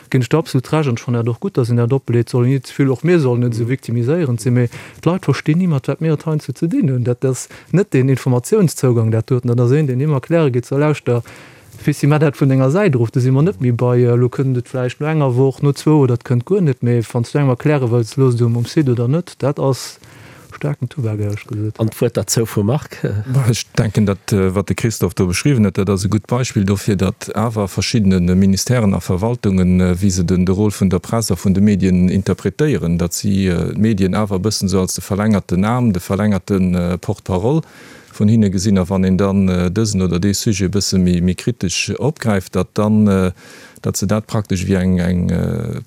ginn ech der absolut Recht an ech fannen dat och gutt, datt een dat opleet, soll een net ze vill, och mir sollen net esou victimiséierend sinn, mee d'Leit verstinn ni mat wat mir et heiansdo ze dinn hunn, dat ass net deen Informatiounszougang dat doten, dat ass een, deen him erkläre geet, so lauschter, Fissi, mä dat vun denger Säit erof, do si mer net méi bei, elo kënnt et vläicht no enger Woch, no zwou oder et kënnt guer net, mee wann s du engem erkläre wëlls, looss et um um Site oder net, dat ass staarken Tubak, éierlech gesot. An d'Wuert derzou vum Marc. Ech denken, dat wat de Christophe do beschriwwen huet, dat ass e gutt Beispill dofir, datt awer verschiddene Ministèren a Verwaltungen, wéi se den de Rôle vun der Press a vun de Medien interpretéieren, datt si d'Medien awer e bëssen esou als de verlängerten Aarm, de verlängerte Porte-parole vun hinne gesinn, a wann een dann dësen oder dee Sujet e bësse méi kritesch opgräift, datt dann, datt se dat praktesch wéi eng eng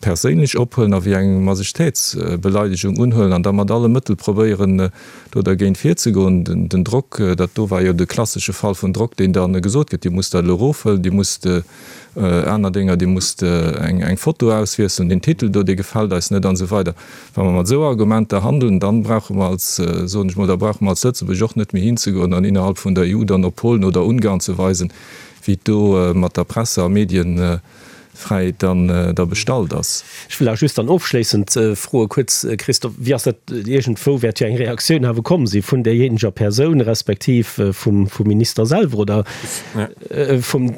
perséinlech ophuelen a wéi eng Majestätsbeleidegung unhuelen an da mat alle Mëttel probéieren, do dergéint virzegoen. Den Drock, dat do war jo de klassesche Fall vun Drock, deen da gesot gëtt, Dir musst dat elo erofhuelen, Dir musst aner Dénger, Dir musst eng eng Foto auswiesselen, deen Titel do, dee gefält eis net an esou weider. Wa mer mat esou Argumenter handeln, dann brauche mer als, soen ech mol, da brauche mer als Lëtzebuerg och net méi hinzegoen an innerhalb vun der EU dann op Polen oder Ungarn ze weisen, wéi. Wéi et do mat der Presse a Medienfräiheet dann da bestallt ass. Ech wëll awer just dann ofschléissend froe kuerz, Christophe, wéi ass dat, iergendwou wäert jo eng Reaktioun awer komm si vun därjéineger Persoun respektiv vum Minister selwer oder vum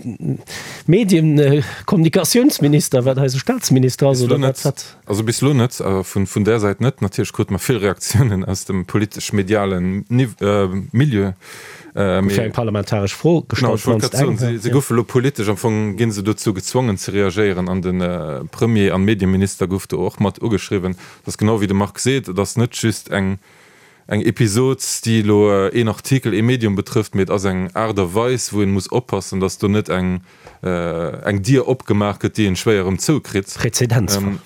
Medienkommunikatiounsminister, wat eise Staatsminister ass, oder wat? Wat? Also bis elo net, vun där Säit net. Natierlech krute mer vill Reaktiounen aus dem politesch-mediale Milieu. Gouf jo eng parlamentaresch Fro gestallt, d'mannst eng. Se goufe elo politesch, am Fong gi se dozou gezwongen ze reagéieren an de Premier an Medieminister gouf do och mat ugeschriwwen. Et ass genau wéi de Marc seet, et ass net just eng eng Episod, déi elo een Artikel, ee Medium betrëfft, mee et ass eng Aart a Weis, wou een muss oppassen, datt do net eng eng Dier opgemaach gëtt, déi een schwéier erëm zoukritt. Präzedenzfall.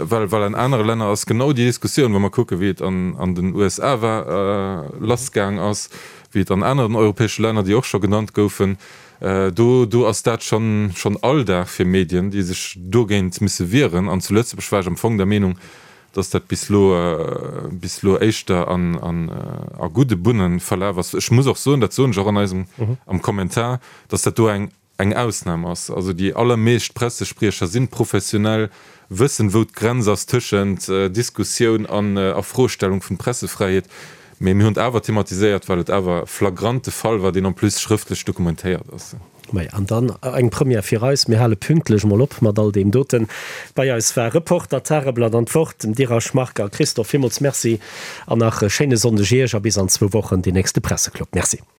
Well, well an anere Länner ass genau déi Diskussioun, wa mer kucken, wéi et an an den USA war, lassgaang ass, wéi et an aneren europäesche Länner, déi och scho genannt goufen, do do ass dat schonn schonn Alldag fir Medien, déi sech dogéint misse wieren. An zu Lëtzebuerg war ech am Fong der Meenung, dass dat bis elo bis elo éischter an an a gudde Bunne verlaf ass. Ech muss och soen, dat soen ech och an eisem am Kommentar, dass dat do eng eng Ausnam ass. Also déi allermeescht Pressespriecher sinn professionell, wëssen wou d'Grenz ass tëschent Diskussioun an A-Frostellung vun Pressefräiheet. Mee mir hunn et awer thematiséiert, well et awer flagrant de Fall war, deen en plus schrëftlech dokumentéiert ass. Maja, an dann eng Première fir eis, mir hale pünktlech mol op mat all deem doten. Bei eis war Reporter, Tageblatt an d'Wort, dem Dirasch Marc a Christophe. Villmools Merci an nach e schéine Sonndeg Iech a bis an zwou Wochen, deen nächste Presseclub. Merci.